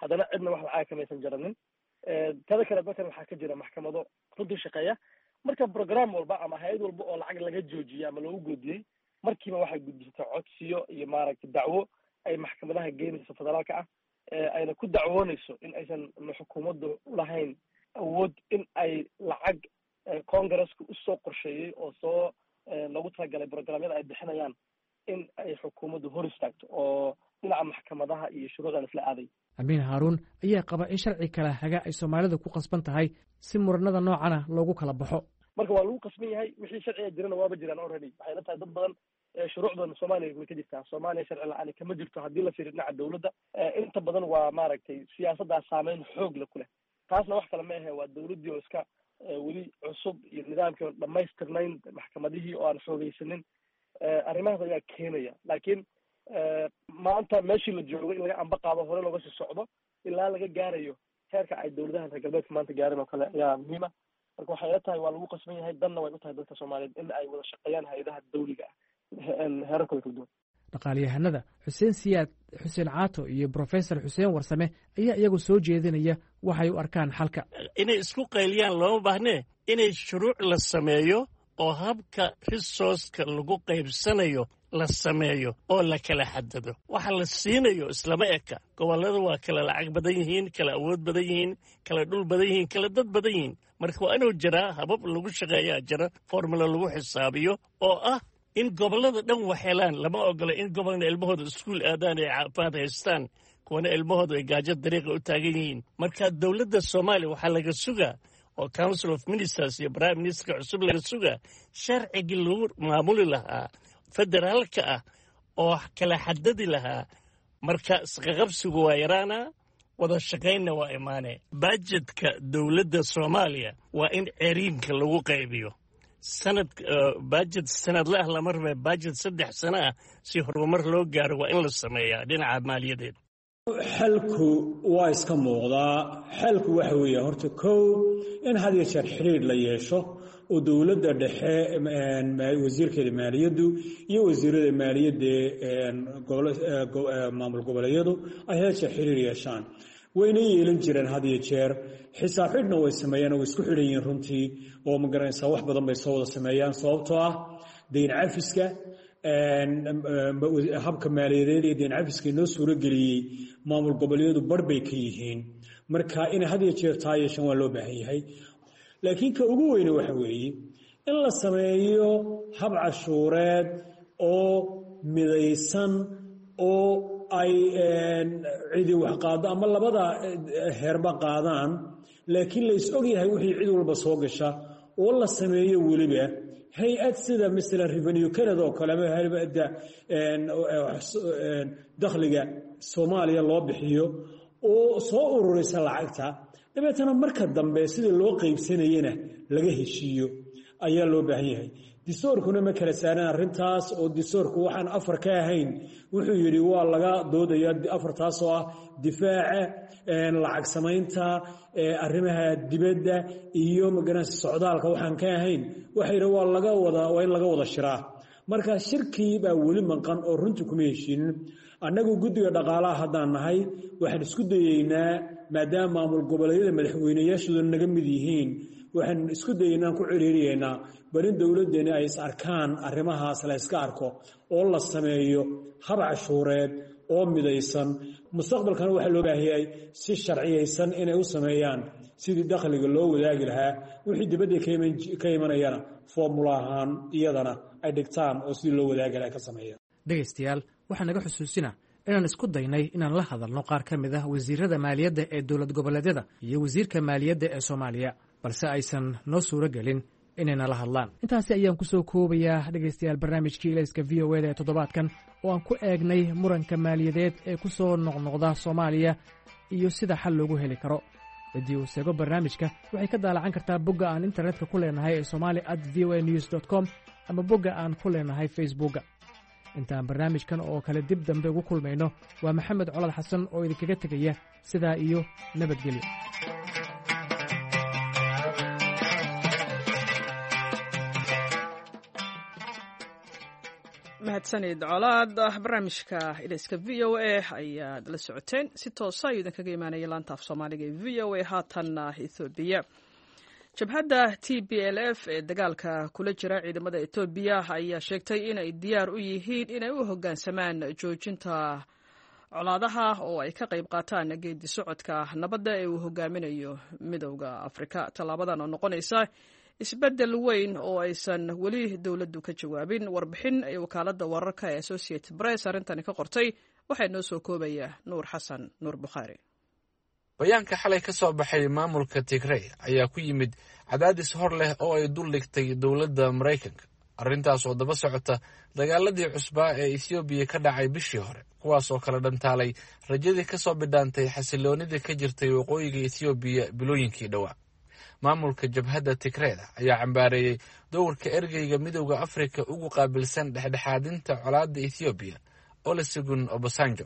haddana cidna wax lacaga kamaysan jaranin. Tada kale, dalkan waxaa ka jira maxkamado runtii shaqeeya. Marka program walba ama hay-ad walba oo lacag laga joojiyey ama loogu goodiyey, markiiba waxay gudbisatay codsiyo iyo, maaragtay, dacwo ay maxkamadaha geynayso federaalka ah, ayna ku dacwoonayso in aysan xukuumaddu ulahayn awood in ay lacag Congresska usoo qorsheeyey oo soo loogu talagalay programyada ay bixinayaan in ay xukuumaddu hor istaagto, oo dhinaca maxkamadaha iyo shuruucdan isla aaday. Amiin Haaruun ayaa qaba in sharci kala haga ay Soomaalidu ku qasban tahay si muranada noocana loogu kala baxo. Marka waa lagu qasban yahay, wixii sharciga jirana waaba jiraan already. Waxay la tahay dad badan shuruucdan Soomaaliya way ka jirtaa. Soomaaliya sharci la-aani kama jirto haddii la fiiriyo dhinaca dowladda. Inta badan waa, maaragtay, siyaasaddaa saameyn xoog le ku leh. Taasna wax kale ma ahe, waa dowladdii oo iska weli cusub iyo nidaamkii oon dhamaystirnayn, maxkamadihii oo aan xoogeysanin. Arrimahaas ayaa keenaya. Laakiin maanta meeshii la joogo in laga amba qaado, hore looga sii socdo ilaa laga gaarayo heerka ay dowladaha reer galbeedka maanta gaareen oo kale ayaa muhiima. Marka waxay ila tahay waa lagu qasban yahay, danna way u tahay dadka Soomaaliyeed in ay wada shaqeeyaan hay-adaha dawliga ah heerarkooda kala duwan. Dhaqaalayahanada Xuseen Siyaad Xuseen Caato iyo Brofesor Xuseen Warsame ayaa iyagu soo jeedinaya waxay u arkaan xalka. Inay isku qayliyaan looma baahnee, inay shuruuc la sameeyo oo habka resourceka lagu qaybsanayo la sameeyo oo la kala xadado. Waxa la siinayo islama eka. Gobollada waa kala lacag badan yihiin, kala awood badan yihiin, kala dhul badan yihiin, kala dad badan yihiin. Marka waa inuu jiraa habab lagu shaqeeyaa jira, formula lagu xisaabiyo oo ah in gobollada dhan wax helaan. Lama ogola in gobolna ilmahooda iskuul aadaan ay caafimaad haystaan, kuwana ilmahooda ay gaajo dariiqa u taagan yihiin. Marka dowladda Soomaaliya waxaa laga sugaa oo Council of Ministers iyo prime ministerka cusub laga sugaa sharcigii lagu maamuli lahaa federaalka ah oo kala xadadi lahaa. Marka isqaqabsigu waa yaraanaa. Wada shaqaynna waa imaanee. Bajedka dowladda Soomaaliya waa in ceriinka lagu qaybiyo sanad, bajet sanadle ah lama rabe, bajet 3 sano ah si horumar loo gaaro waa in la sameeyaa dhinaca maaliyadeed. Xalku waa iska muuqdaa. Xalku waxa weeye horta kow in had iyo jeer xidhiidh la yeesho oo dowladda dhexe wasiirkeeda maaliyaddu iyo wasiirada maaliyadda maamul goboleedyadu ay had jeer xidhiidh yeeshaan. Wayna yeelan jireen had iyo jeer, xisaab xidhna way sameeyaan oo way isku xidhan yihiin runtii, oo ma garanaysaa wax badan bay soo wada sameeyaan, sababtoo ah deyn cafiska, habka maaliyadeed ee deyn cafiska inoo suurageliyey maamul goboleedyadu bar bay ka yihiin. Marka inay had iyo jeer taa yeeshaan waa loo baahan yahay, laakiin ka ugu weyne waxa weeye in la sameeyo hab cashuureed oo midaysan oo ay cidi wax qaado ama labada heerba qaadaan, laakiin la is og yahay wixii cid walba soo gasha, oo la sameeyo weliba hay-ad sida masalan Revenue Canada oo kale ama hay-adda dakhliga Soomaaliya loo bixiyo oo soo ururisa lacagta, dabeetana marka dambe sidii loo qaybsanayena laga heshiiyo ayaa loo baahan yahay. Distoorkuna ma kala saaran arrintaas, oo distoorku waxaan afar ka ahayn wuxuu yidhi waa laga doodaya, afartaas oo ah difaaca, lacag samaynta, arrimaha dibadda iyo magaranaysa socdaalka waxaan ka ahayn waxa yidhi waa laga wada, waa in laga wada shiraa. Marka shirkii baa weli maqan oo runtii kuma heshiinin. Annagu guddiga dhaqaalaha haddaan nahay waxaan isku dayeynaa, maadaama maamul goboleedyada madaxweyneyaashooda naga mid yihiin, waxaan isku dayeynaan ku ciriiriyeynaa bal in dowladdeeni ay is arkaan, arrimahaas la iska arko oo la sameeyo hab cashuureed oo midaysan. Mustaqbalkana waxaa loo baahiyay si sharciyaysan inay u sameeyaan sidii dakhliga loo wadaagi lahaa, wixii dibadda ka imanayana foomula ahaan iyadana ay dhigtaan oo sidii loo wadaagi lahaa ka sameeyaan. Dhegaystayaal, waxaa naga xusuusina inaan isku daynay inaan la hadalno qaar ka mid ah wasiirada maaliyadda ee dowlad goboleedyada iyo wasiirka maaliyadda ee Soomaaliya, balse aysan noo suuro gelin inayna la hadlaan. Intaasi ayaan ku soo koobayaa, dhegaystayaal, barnaamijkii Ilayska VOA da ee toddobaadkan oo aan ku eegnay muranka maaliyadeed ee ku soo noqnoqda Soomaaliya iyo sida xal loogu heli karo. Ciddii uu seego barnaamijka waxay ka daalacan kartaa bogga aan internetka ku leenahay ee somali@voanews.com ama bogga aan ku leenahay Facebookga. Intaan barnaamijkan oo kale dib dambe ugu kulmayno, waa Maxamed Colad Xasan oo idinkaga tegaya sidaa iyo nabadgelyo. Mahadsanid Colaad. Barnaamijka Ilayska VOA ayaad la socoteen, si toosa ayuu idinkaga imaanaya laanta af Soomaaliga ee VOA. Haatanna Ethoobiya. Jabhadda TPLF ee dagaalka kula jira ciidamada Etoobiya ayaa sheegtay inay diyaar u yihiin inay u hoggaansamaan joojinta colaadaha oo ay ka qayb qaataan geedi socodka nabadda ee uu hogaaminayo Midowda Afrika. Tallaabadan oo noqonaysa isbeddel weyn oo aysan weli dowladdu ka jawaabin. Warbixin ay wakaaladda wararka ee Associated Press arrintani ka qortay waxaa inoo soo koobaya Nuur Xasan Nuur Bukhaari. Bayaanka xalay ka soo baxay maamulka Tigrey ayaa ku yimid cadaadis hor leh oo ay dul dhigtay dowladda Maraykanka, arrintaas oo daba socota dagaaladii cusbaa ee Ethoobiya ka dhacay bishii hore, kuwaas oo kala dhantaalay rajadii ka soo bidhaantay xasiloonidii ka jirtay waqooyiga Ethoobiya bilooyinkii dhowaa. Maamulka jabhadda Tigreeda ayaa cambaareeyey dowrka ergeyga Midowda Afrika ugu qaabilsan dhexdhexaadinta colaadda Ethoobiya, Olusegun Obasanjo.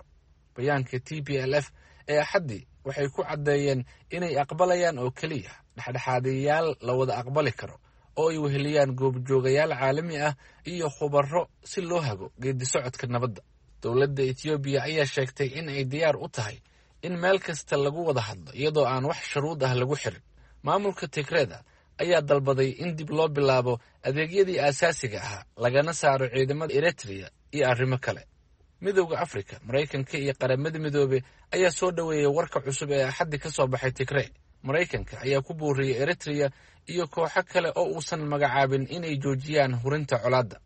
Bayaanka TPLF ee Axaddii waxay ku caddeeyeen inay aqbalayaan oo keliya dhexdhexaadiyayaal la wada aqbali karo oo ay weheliyaan goobjoogayaal caalami ah iyo khubaro si loo hago geedi socodka nabadda. Dowladda Etoobiya ayaa sheegtay in ay diyaar u tahay in meel kasta lagu wada hadlo iyadoo aan wax shuruud ah lagu xirin. Maamulka Tigreeda ayaa dalbaday in dib loo bilaabo adeegyadii aasaasiga ahaa, lagana saaro ciidamada Eritrea iyo arrimo kale. Midowda Afrika, Maraykanka iyo Qaramada Midoobe ayaa soo dhoweeyey warka cusub ee Axaddi ka soo baxay Tigrey. Maraykanka ayaa ku booriyey Eritrea iyo kooxo kale oo uusan magacaabin inay joojiyaan hurinta colaadda.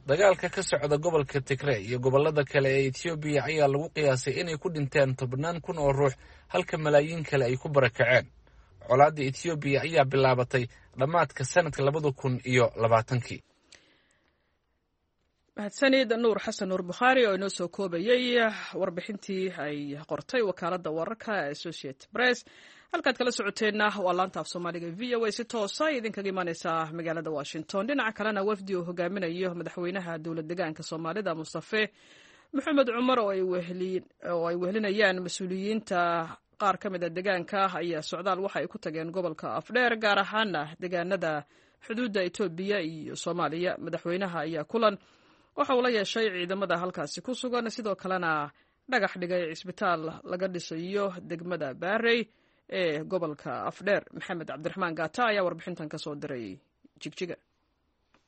Dagaalka ka socda gobolka Tigrey iyo gobollada kale ee Etoobiya ayaa lagu qiyaasay inay ku dhinteen tobnaan kun oo ruux, halka malaayiin kale ay ku barakaceen. Colaadda Etoobiya ayaa bilaabatay dhammaadka sanadka 2020-kii. Mahadsanid Nuur Xasan Nuur Bukhaari oo inoo soo koobayey warbixintii ay qortay wakaaladda wararka Associate Press. Halkaad kala socoteenna waa laanta af Soomaaliga VOA, si toosa idinkaga imaaneysaa magaalada Washington. Dhinaca kalena, wafdi uu hogaaminayo madaxweynaha dowlad degaanka Soomaalida Mustafe Maxamed Cumar oo ay wehelinayaan mas-uuliyiinta qaar ka mid a degaanka ayaa socdaal waxa ay ku tageen gobolka Afdheer, gaar ahaana degaanada xuduudda Etoobiya iyo Soomaaliya. Madaxweynaha ayaa kulan waxa uu la yeeshay ciidamada halkaasi ku sugan, sidoo kalena dhagax dhigay cisbitaal laga dhisayo degmada Baarey ee gobolka Afdheer. Maxamed Cabdiraxmaan Gaata ayaa warbixintan ka soo diray Jigjiga.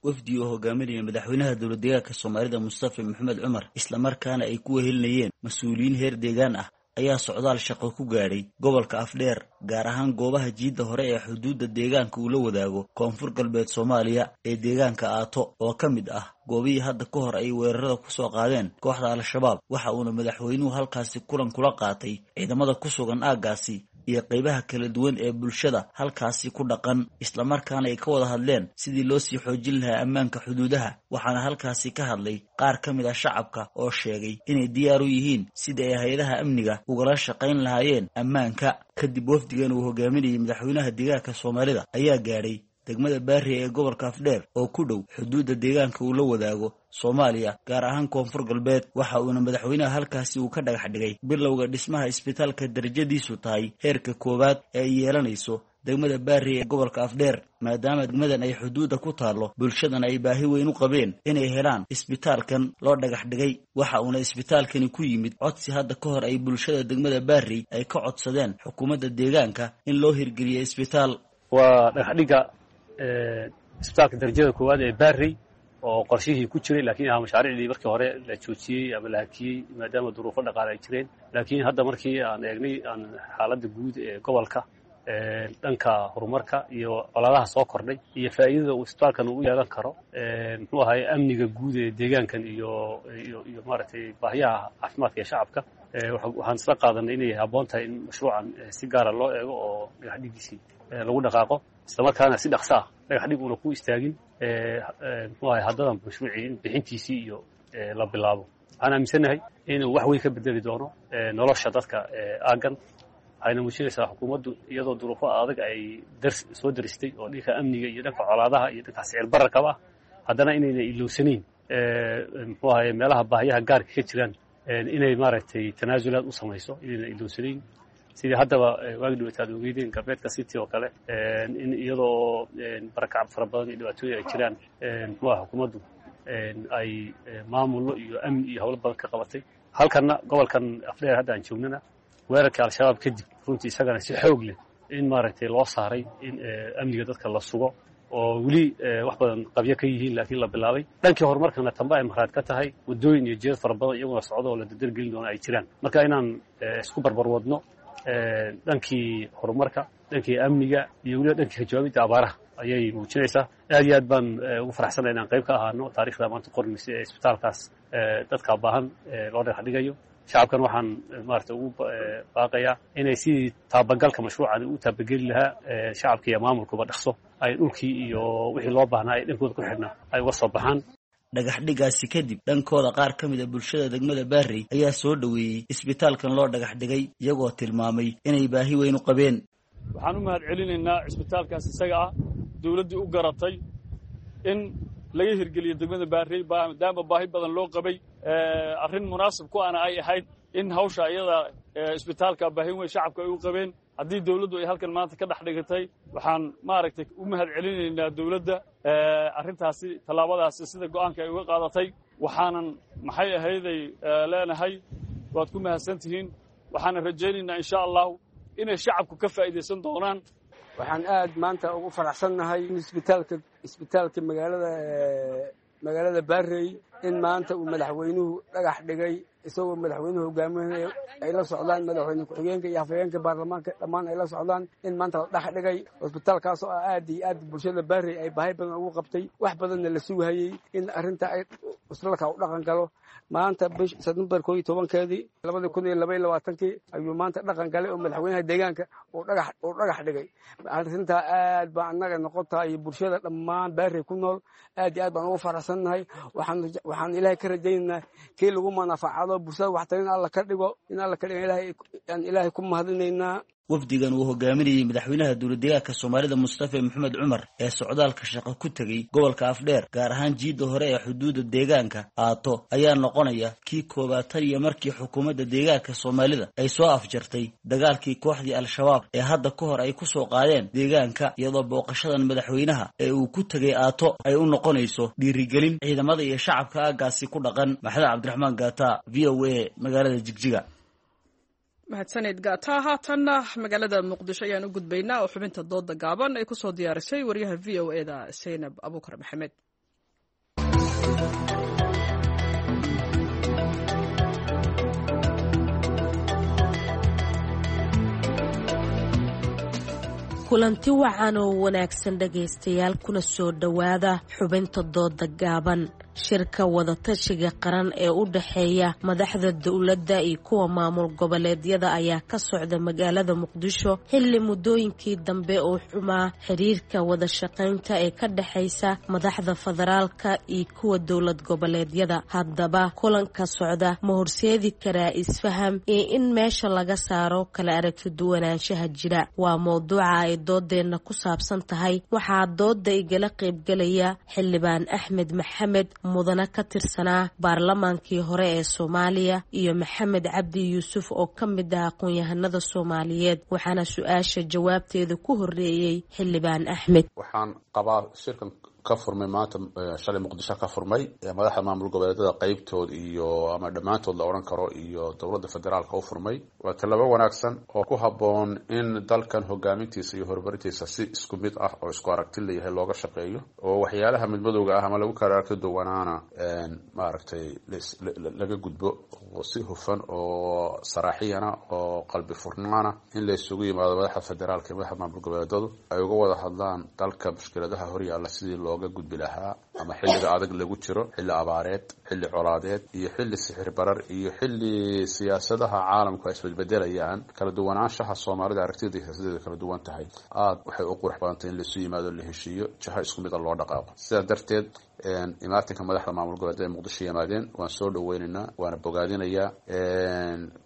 Wafdi oo hogaaminaya madaxweynaha dowlad deegaanka Soomaalida Mustafa Maxamed Cumar, islamarkaana ay ku wehelinayeen mas-uuliyiin heer deegaan ah, ayaa socdaal shaqo ku gaadhay gobolka Afdheer, gaar ahaan goobaha jiidda hore ee xuduudda deegaanka uu la wadaago Koonfur Galbeed Soomaaliya ee deegaanka Aato, oo ka mid ah goobihii hadda ka hor ay weerarada ku soo qaadeen kooxda Al-Shabaab. Waxa uuna madaxweynuhu halkaasi kulan kula qaatay ciidamada ku sugan aaggaasi iyo qaybaha kala duwan ee bulshada halkaasi ku dhaqan, islamarkaana ay ka wada hadleen sidii loo sii xoojin lahaa ammaanka xuduudaha. Waxaana halkaasi ka hadlay qaar ka mid ah shacabka oo sheegay inay diyaar u yihiin sidii ay hay-adaha amniga ugala shaqayn lahaayeen ammaanka. Kadib wafdigan uu hogaaminayay madaxweynaha deegaanka Soomaalida ayaa gaadhay degmada Baari ee gobolka Afdheer oo ku dhow xuduudda deegaanka uu la wadaago Soomaaliya, gaar ahaan Koonfur Galbeed. Waxa uuna madaxweynaha halkaasi uu ka dhagax dhigay bilowga dhismaha isbitaalka darajadiisu tahay heerka koowaad ee ay yeelanayso degmada Baari ee gobolka Afdheer, maadaama degmadan ay xuduudda ku taallo, bulshadan ay baahi weyn u qabeen inay helaan isbitaalkan loo dhagax dhigay. Waxa uuna isbitaalkani ku yimid codsi hadda ka hor ay bulshada degmada Baari ay ka codsadeen xukuumadda deegaanka in loo hirgeliyo isbitaal. Waa dhagaxdhigga isbitaalka darajada koowaad ee Baarey oo qorshihii ku jiray, laakiin ahaa mashaariicdii markii hore la joojiyey ama la hakiyey maadaama duruufo dhaqaale ay jireen. Laakiin hadda markii aan eegnay aan xaaladda guud ee gobolka, dhanka horumarka iyo colaadaha soo kordhay iyo faa'iidada uu isbitaalkan uu yeelan karo, muxuu ahaye, amniga guud ee deegaankan iyo iyo iyo maaragtay baahiyaha caafimaadka ee shacabka, waxaan isla qaadanay inay habboon tahay in mashruucan si gaara loo eego oo dhagaxdhigiisii lagu dhaqaaqo, islamarkaana si dhaqso ah dhagax dhig uuna ku istaagin, muxuu ahay, haddadan mashruucii in bixintiisii iyo la bilaabo. Waxaan aaminsannahay inuu wax weyn ka bedeli doono nolosha dadka aaggan. Waxayna muujinaysaa xukuumaddu iyadoo duruufo adag ay soo daristay oo dhanka amniga iyo dhanka colaadaha iyo dhanka sicir bararkaba ah, haddana inayna ilowsanayn, muxuu ahaye, meelaha baahiyaha gaarka ka jiraan inay maaragtay tanaasulaad u samayso, inayna ilowsanayn. Sidii haddaba waagi dhaweyta aad ogeydeen galbeedka City oo kale, in iyadoo barakac fara badan iyo dhibaatooyin ay jiraan, muxuu aha, xukuumaddu ay maamullo iyo amni iyo howlo badan ka qabatay. Halkanna gobolkan Afdheer hadda aan joognana, weerarka Al-Shabaab kadib, runtii isagana si xoog leh in maaragtay loo saaray in amniga dadka la sugo, oo weli wax badan qabyo ka yihiin laakiin la bilaabay. Dhankii horumarkana tamba ay markhaat ka tahay waddooyin iyo jeed fara badan iyaguna socdo oo la dardargelin doono ay jiraan. Marka inaan isku barbar wadno dhankii horumarka, dhankii amniga iyo weliba dhankii kajawaabidda abaaraha ayay muujinaysaa. Aad iyo aad baan ugu faraxsanay inaan qayb ka ahaano taarikhda maanta qormaysa ee isbitaalkaas dadka baahan loo dhagax dhigayo. Shacabkan waxaan maarata ugu baaqayaa inay sidii taabagalka mashruucan u taabageli lahaa shacabka iyo maamulkuba dhaqso ay dhulkii iyo wixii loo baahnaa ay dhankooda ku xidhnaa ay uga soo baxaan. Dhagaxdhigaasi kadib, dhankooda qaar ka mid a bulshada degmada Baarey ayaa soo dhoweeyey isbitaalkan loo dhagax dhigay, iyagoo tilmaamay inay baahi weyn u qabeen. Waxaan u mahad celinaynaa cisbitaalkaas isaga ah dawladdii u garatay in laga hirgeliyo degmada Baarey, maadaama baahi badan loo qabay, arrin munaasib ku ana ay ahayd in hawsha iyada isbitaalka baahi weyn shacabka ay u qabeen. Haddii dawladdu ay halkan maanta ka dhex dhigatay, waxaan maaragtay u mahad celinaynaa dawladda arrintaasi, tallaabadaasi sida go'aanka ay uga qaadatay. Waxaanan maxay ahayday leenahay waad ku mahadsan tihiin. Waxaanan rajaynaynaa insha Allahu inay shacabku ka faa'iidaysan doonaan. Waxaan aad maanta ugu faraxsannahay in isbitaalka magaalada Baarey in maanta uu madaxweynuhu dhagax dhigay, isagoo madaxweynuhu hogaaminayo, ay la socdaan madaxweyne ku-xigeenka iyo afhayeenka baarlamaanka, dhammaan ay la socdaan, in maanta la dhex dhigay cusbitaalkaas oo aad iyo aad bulshada Baarey ay baahi badan ugu qabtay, wax badanna la sugahayey in arrinta ay islalka u dhaqan galo. Maanta bish Sebtembar 11-keedii 2022-kii ayuu maanta dhaqan galay oo madaxweynaha deegaanka uu dhagax dhigay. Arrintaa aad baa annaga noqotaa iyo bulshada dhammaan Baarey ku nool aad iyo aad baan ugu faraxsannahay. Waxaan Ilaahay ka rajaynaynaa kii lagu manafacado bulshada waxtar in Alla ka dhigo, in Alla ka dhigo Ilaahay aan Ilaahay ku mahadinaynaa. Wafdigan uu hogaaminayay madaxweynaha dowladdeegaanka Soomaalida Mustafa Maxamed Cumar ee socdaalka shaqo ku tegey gobolka Afdheer, gaar ahaan jiidda hore ee xuduudda deegaanka Aato, ayaa noqonaya kii koowaad tan iyo markii xukuumadda deegaanka Soomaalida ay soo afjartay dagaalkii kooxdii Al-Shabaab ee hadda ka hor ay ku soo qaadeen deegaanka, iyadoo booqashadan madaxweynaha ee uu ku tegey Aato ay u noqonayso dhiirigelin ciidamada iyo shacabka aaggaasi ku dhaqan. Maxamed Cabdiraxmaan Gaata, VOA, magaalada Jigjiga. Mahadsanid Gaata. Haatanna magaalada Muqdisho ayaan u gudbaynaa oo xubinta dooda gaaban ay kusoo diyaarisay wariyaha VOA-da Saynab Abuukar Maxamed. Kulanti wacan oo wanaagsan dhegaystayaal, kuna soo dhowaada xubinta dooda gaaban. Shirka wadatashiga qaran ee u dhexeeya madaxda dowladda iyo kuwa maamul goboleedyada ayaa ka socda magaalada Muqdisho xilli muddooyinkii dambe oo xumaa xiriirka wadashaqaynta ee ka dhexaysa madaxda federaalka iyo kuwa dowlad goboleedyada. Haddaba kulanka socda ma horseedi karaa isfaham iyo in meesha laga saaro kala aragti duwanaanshaha jira? Waa mowduuca ay doodeenna ku saabsan tahay. Waxaa dooda igala qaybgalaya Xildhibaan Axmed Maxamed, mudane ka tirsanaa baarlamaankii hore ee Soomaaliya, iyo Maxamed Cabdi Yuusuf oo ka mid ah aqoon-yahanada Soomaaliyeed. Waxaana su-aasha jawaabteeda ku horeeyey Xildhibaan Axmed. Waxaan qabaa shirkan ka furmay maanta, shalay Muqdisho ka furmay, madaxda maamul goboleedyada qeybtood iyo ama dhammaantood la odhan karo iyo dowladda federaalka u furmay waa tallaabo wanaagsan oo ku habboon in dalkan hogaamintiisa iyo horumarintiisa si isku mid ah oo isku aragti leeyahay looga shaqeeyo, oo waxyaalaha midmadowga ah ama lagu kala aragti duwanaana maaragtay laga gudbo, oo si hufan oo saraaxiyana oo qalbi furnaana in la isugu yimaado madaxda federaalka iyo madaxda maamul goboleedyadu ay uga wada hadlaan dalka mushkiladaha horyaalla sidii looga gudbi lahaa, ama xilliga adag lagu jiro, xilli abaareed, xilli colaadeed iyo xilli sixir barar iyo xilli siyaasadaha caalamku ay isbedbedelayaan, kala duwanaanshaha Soomaalida aragtida siyaasadeedu kala duwan tahay. Aada waxay u qurux badantay in laisu yimaado, la heshiiyo, jaho isku mid a loo dhaqaaqo. Sidaa darteed imaatinka madaxda maamul goboleedyada ee Muqdisho yimaadeen waan soo dhaweynaynaa, waana bogaadinayaa.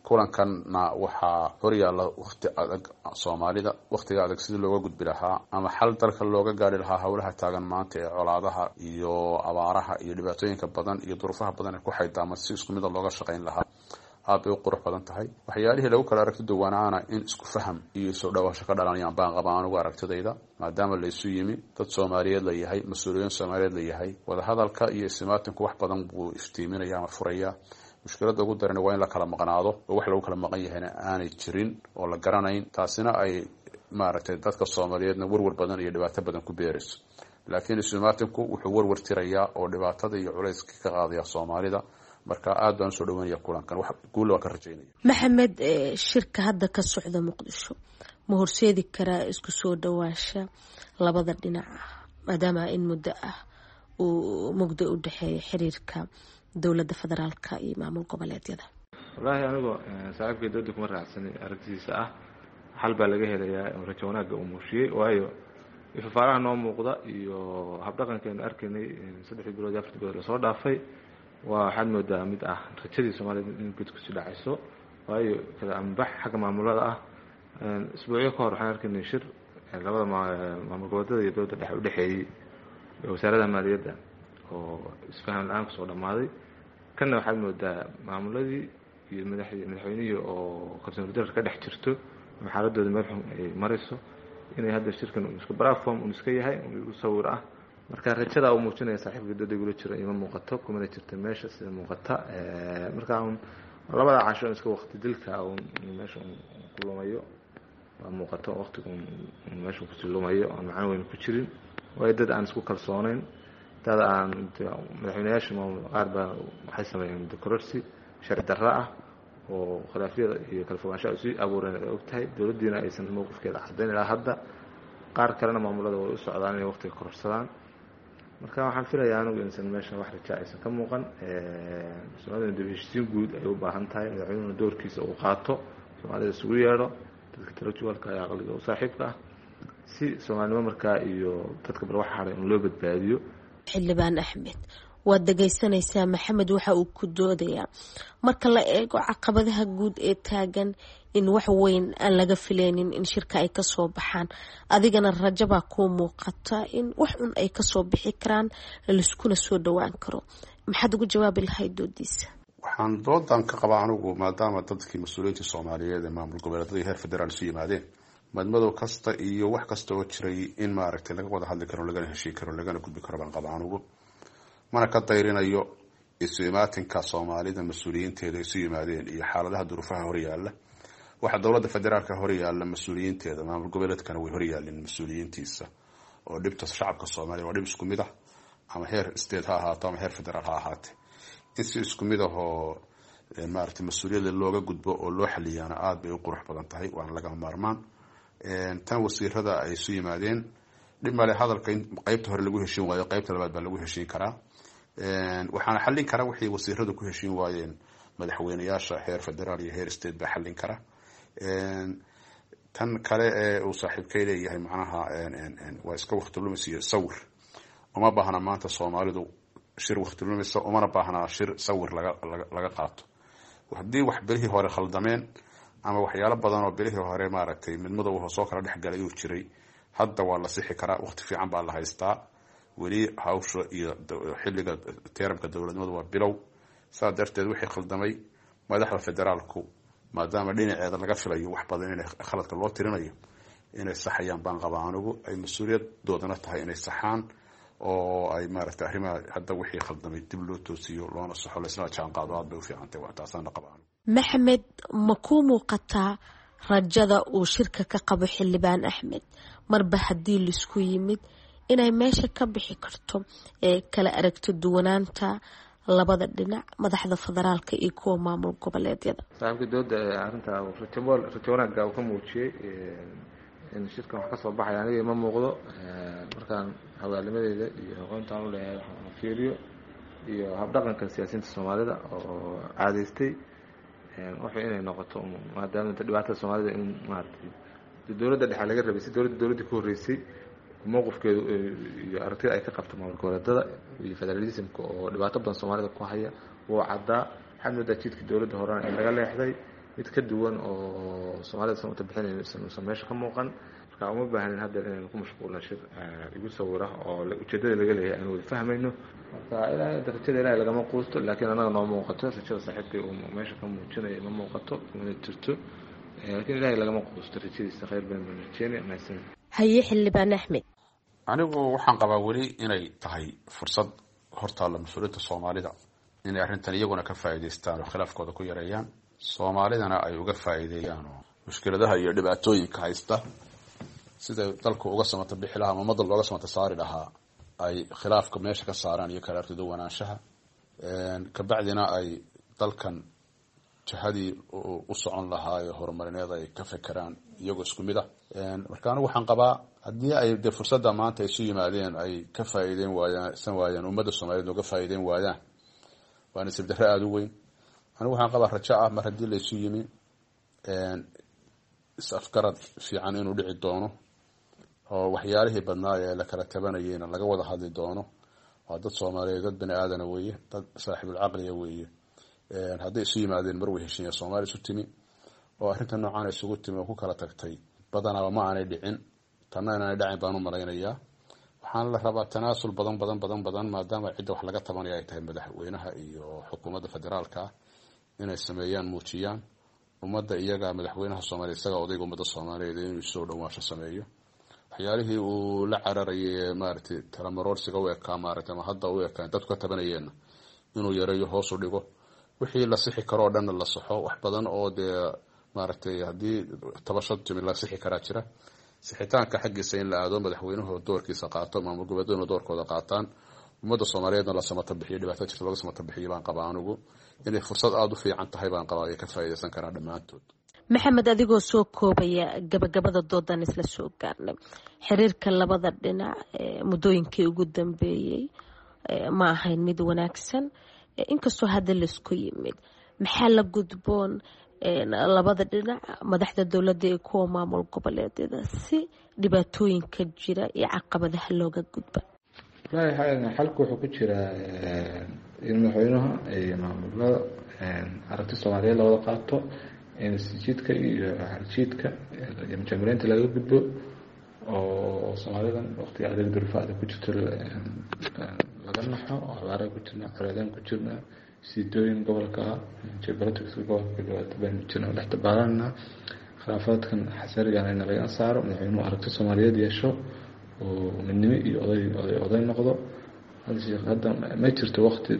Kulankanna waxaa horyaalla wakti adag Soomaalida, waktiga adag sidii looga gudbi lahaa ama xal dalka looga gaari lahaa howlaha taagan maanta ee colaadaha iyo abaaraha iyo dhibaatooyinka badan iyo duruufaha badan ee ku xaydaama si isku mida looga shaqayn lahaa. Aad bay u qurux badan tahay. Waxyaalihii lagu kala aragti duwanaana in isku faham iyo isoo dhawaasho ka dhalanayaan baan qabaa anugu aragtidayda, maadaama laysu yimi, dad Soomaaliyeed la yahay, mas-uuliyiin Soomaaliyeed la yahay. Wadahadalka iyo isimaatinku wax badan buu iftiiminaya ama furaya. Mushkiladda ugu darani waa in la kala maqnaado oo wax lagu kala maqan yahayna aanay jirin oo la garanayn, taasina ay maaragtay dadka Soomaaliyeedna warwar badan iyo dhibaato badan ku beerayso. Laakiin isimaatinku wuxuu warwar tirayaa oo dhibaatada iyo culayska ka qaadaya Soomaalida. Marka aad baan usoo dhaweynaya kulankan, wax guul waa ka rajaynaya. Maxamed, shirka hadda ka socda Muqdisho ma horseedi karaa isku soo dhawaansha labada dhinac ah, maadaama in muddo ah uu mugdo u dhexeeya xiriirka dowladda federaalka iyo maamul goboleedyada? Wallaahi anigoo saaxiibkay dooda kuma raacsanay aragtidiisa ah xal baa laga helayaa rajo wanaagga uu muujiyey, waayo ifafaaraha noo muuqda iyo habdhaqankeenu arkaynay 3 bilood iyo 4 bilood lasoo dhaafay waa waxaad moodaa mid ah rajadii Soomaalida in gud kusii dhacayso, waayo kala ambax xagga maamulada ah. Isbuucyo ka hor waxaan arkaynay shir labada maamul goboleedyada iyo dowladda dhexe udhexeeyey wasaaradda maaliyadda oo isfaham la-aan kusoo dhammaaday. Kanna waxaad moodaa maamuladii iyo madaxweynihii oo kalsooni darro ka dhex jirto ama xaaladooda meel xun ay marayso inay hadda shirkan isku platform un iska yahay u sawir ah. Marka rajada uu muujinaya saaxiibka dooda gula jira ima muuqato, kumana jirta meesha sida muuqata. Marka labada casho iska waqti dilka un meesha ku lumayo waa muuqato, waqtiga meesha kusii lumayo aan macno weyn ku jirin, waayo dad aan isku kalsoonayn, dad aan madaxweynayaasha maamul qaar baa waxay sameeyeen decororsi sharci darro ah oo khilaafyada iyo kala fogaanshaha sii abuureen ay og tahay, dowladdiina aysan mowqifkeeda caddayn ilaa hadda. Qaar kalena maamulada way u socdaan inay waqtiga kororsadaan. Marka waxaan filayaa anigu insan meesha wax raja aysan ka muuqan. Soomaalida dib heshiisiin guud ay u baahan tahay, madaxweynuhuna doorkiisa uu qaato, Soomaalida isugu yeedho dadka intellectualka ee aqliga u saaxiibka ah, si soomaalinimo markaa iyo dadka bal waxa hadhay in loo badbaadiyo. Xildhibaan Axmed, waad dhegeysanaysaa Maxamed waxa uu ku doodayaa marka la eego caqabadaha guud ee taagan in wax weyn aan laga fileynin in shirka ay kasoo baxaan, adigana rajabaa kuu muuqata in wax un ay kasoo bixi karaan, laiskuna soo dhowaan karo. Maxaad ugu jawaabi lahayd doodiisa? Waxaan doodan ka qabaa anigu, maadaama dadkii mas-uuliyiinta Soomaaliyeed ee maamul goboleedyada heer federaal isu yimaadeen, madmadow kasta iyo wax kasta oo jiray in maaragtay laga wada hadli karo, lagana heshiin karo, lagana gudbi karo baan qabaa anigu. Mana ka dayrinayo isu imaatinka Soomaalida mas-uuliyiinteeda isu yimaadeen iyo xaaladaha duruufaha horyaala. Waxaa dowladda federaalka horyaala mas-uuliyiinteeda, maamul goboleedkana way horyaalin mas-uuliyiintiisa, oo dhibta shacabka Soomaaliya waa dhib isku mid ah, ama heer state ha ahaato ama heer federaal ha ahaate. In si isku mid ahoo maaragtay mas-uuliyadda looga gudbo oo loo xaliyaana aada bay u qurux badan tahay, waana lagama maarmaan. Tan wasiirada ay isu yimaadeen dhib male, hadalka in qeybta hore lagu heshiin waayo, qeybta labaad baa lagu heshiin karaa. Waxaana xallin kara wixii wasiiradu ku heshiin waayeen madaxweyneyaasha heer federaal iyo heer state baa xallin kara. Tan kale ee uu saaxiibkay leeyahay macnaha waa iska waqti lumis iyo sawir, uma baahna maanta Soomaalidu shir waqti lumisa, umana baahnaa shir sawir laga qaato. Haddii wax bilihii hore khaldameen ama waxyaalo badan oo bilihii hore maaragtay midmadow soo kala dhexgalay uu jiray, hadda waa la sixi karaa, waqti fiican baa la haystaa weli. Hawsha iyo xilliga teeramka dowladnimadu waa bilow. Saa darteed wixii khaldamay madaxda federaalku, maadaama dhinaceeda laga filayo wax badan inay khaladka loo tirinayo, inay saxayaan baan qabaa anigu, ay mas-uuliyadoodana tahay inay saxaan oo ay maaragtay arrimaha hadda wixii khaldamay dib loo toosiyo loona saxo, laisla jaan qaado, aad bay u fiicantay, waa taasaana qabaa anigu. Maxamed, ma kuu muuqataa rajada uu shirka ka qabo Xildhibaan Axmed, marba haddii laisku yimid inay meesha ka bixi karto ee kala aragto duwanaanta labada dhinac, madaxda federaalka iyo kuwa maamul goboleedyada? Saaxiibka dooda arrinta rajo wanaagga uu ka muujiyey in shirkan wax kasoo baxaya aniga ima muuqdo. Markaan hogaalimadeeda iyo aqoontaan u leeyahay waxaan fiiriyo iyo habdhaqanka siyaasiyiinta Soomaalida oo caadeystay wuxuu inay noqoto, maadaama dhibaatada Soomaalida in maaragtay dowladda dhexe laga rabay si dowladda ka horreysay mowqifkeedu iyo aragtida ay ka qabto maamul goboleedada iyo federalismka oo dhibaato badan Soomaalida ku haya wuu caddaa. Waxaad moodaa jidka dowladda horena in laga leexday, mid ka duwan oo Soomaalida san uta bixinayo usan meesha ka muuqan. Marka uma baahnin hadda inaynu ku mashquulna shir igu sawira oo ujeedada laga leeyahay aanu wada fahmayno. Marka ilaahay rajada Ilaahay lagama quusto, laakiin annaga noo muuqato rajada saaxiibkay uu meesha ka muujinayo ma muuqato mana jirto, laakiin Ilaahay lagama quusto rajadiisa, khayr badan baan rajeynaya. Mahadsan. Haye, Xildhibaan Axmed. Anigu waxaan qabaa weli inay tahay fursad hortaalla mas-uuliyiinta Soomaalida inay arrintan iyaguna ka faa'iidaystaan oo khilaafkooda ku yareeyaan, Soomaalidana ay uga faa'iideeyaan oo mushkiladaha iyo dhibaatooyinka haysta sida dalku uga samata bixi lahaa ama ummadda looga samata saari lahaa, ay khilaafka meesha ka saaraan iyo kala artiduwanaanshaha, kabacdina ay dalkan jihadii u socon lahaa ee horumarineed ay ka fekeraan iyagoo isku mid ah. Marka anigu waxaan qabaa haddii ay dee fursadda maanta isu yimaadeen ay ka faa'iideyn waayaan san waayaan, ummadda Soomaaliyeed uga faa'iideyn waayaan, waa nasiib darro aada u weyn. Anigu waxaan qabaa rajo ah mar haddii laysu yimi is-afgarad fiican inuu dhici doono oo waxyaalihii badnaa ee la kala tabanayeyna laga wada hadli doono. Waa dad Soomaaliyeed, dad bani aadana weeye, dad saaxiibulcaqliya weeye. Hadday isu yimaadeen mar way heshiiya Soomaaliya isu timi oo arrinta noocaan isugu timi oo ku kala tagtay badanaaba ma aanay dhicin, tanna inaanay dhacin baan u malaynayaa. Waxaana la rabaa tanaasul badan badan badan badan, maadaama cidda wax laga tabanaya ay tahay madaxweynaha iyo xukuumadda federaalka ah, inay sameeyaan muujiyaan ummadda iyaga madaxweynaha Soomaaliya isaga odayga ummadda Soomaaliyeed inuu soo dhawaansho sameeyo. Waxyaalihii uu la cararayay maaragtay talamaroorsiga u ekaa maaragtay ama hadda u ekaa dadku ka tabanayeenna inuu yareeyo, hoos u dhigo, wixii la sixi karo oo dhanna la saxo. Wax badan oo dee maaragtay haddii tabasho timi la sixi karaa jira, sixitaanka xaggiisa in la aado, madaxweynuhu doorkiisa qaato, maamul goboleedyaduna doorkooda qaataan, ummadda Soomaaliyeedna la samata bixiyo, dhibaatada jirta looga samata bixiyo baan qabaa anigu. Inay fursad aada u fiican tahay baan qabaa ay ka faa'iidaysan karaan dhammaantood. Maxamed, adigoo soo koobaya, gabagabada doodan isla soo gaarnay, xiriirka labada dhinac muddooyinkii ugu dambeeyey ma ahayn mid wanaagsan, inkastoo hadda laisku yimid. Maxaa la gudboon labada dhinac, madaxda dowladda iyo kuwa maamul goboleedyada, si dhibaatooyinka jira iyo caqabadaha looga gudba? Wallaahi xalku wuxuu ku jiraa in madaxweynaha iyo maamulada aragti Soomaaliyeed lawada qaato, in isjiidka iyo xarjiidka iyo mujaamuleynta laga gudbo, oo Soomaalidan waqtiga adeeg duruufa adag ku jirto laga naxo, oo abaaraha ku jirna, colaadaan ku jirna, siidooyin gobolka ah, geopolitics gobolka dhibaato baynu jirna dhex dabaalanna, khilaafaadkan xasarigan in laga saaro, madaxweynuhu aragti Soomaaliyeed yeesho oo midnimo iyo oday oday oday noqdo. Hadda ma jirto waqti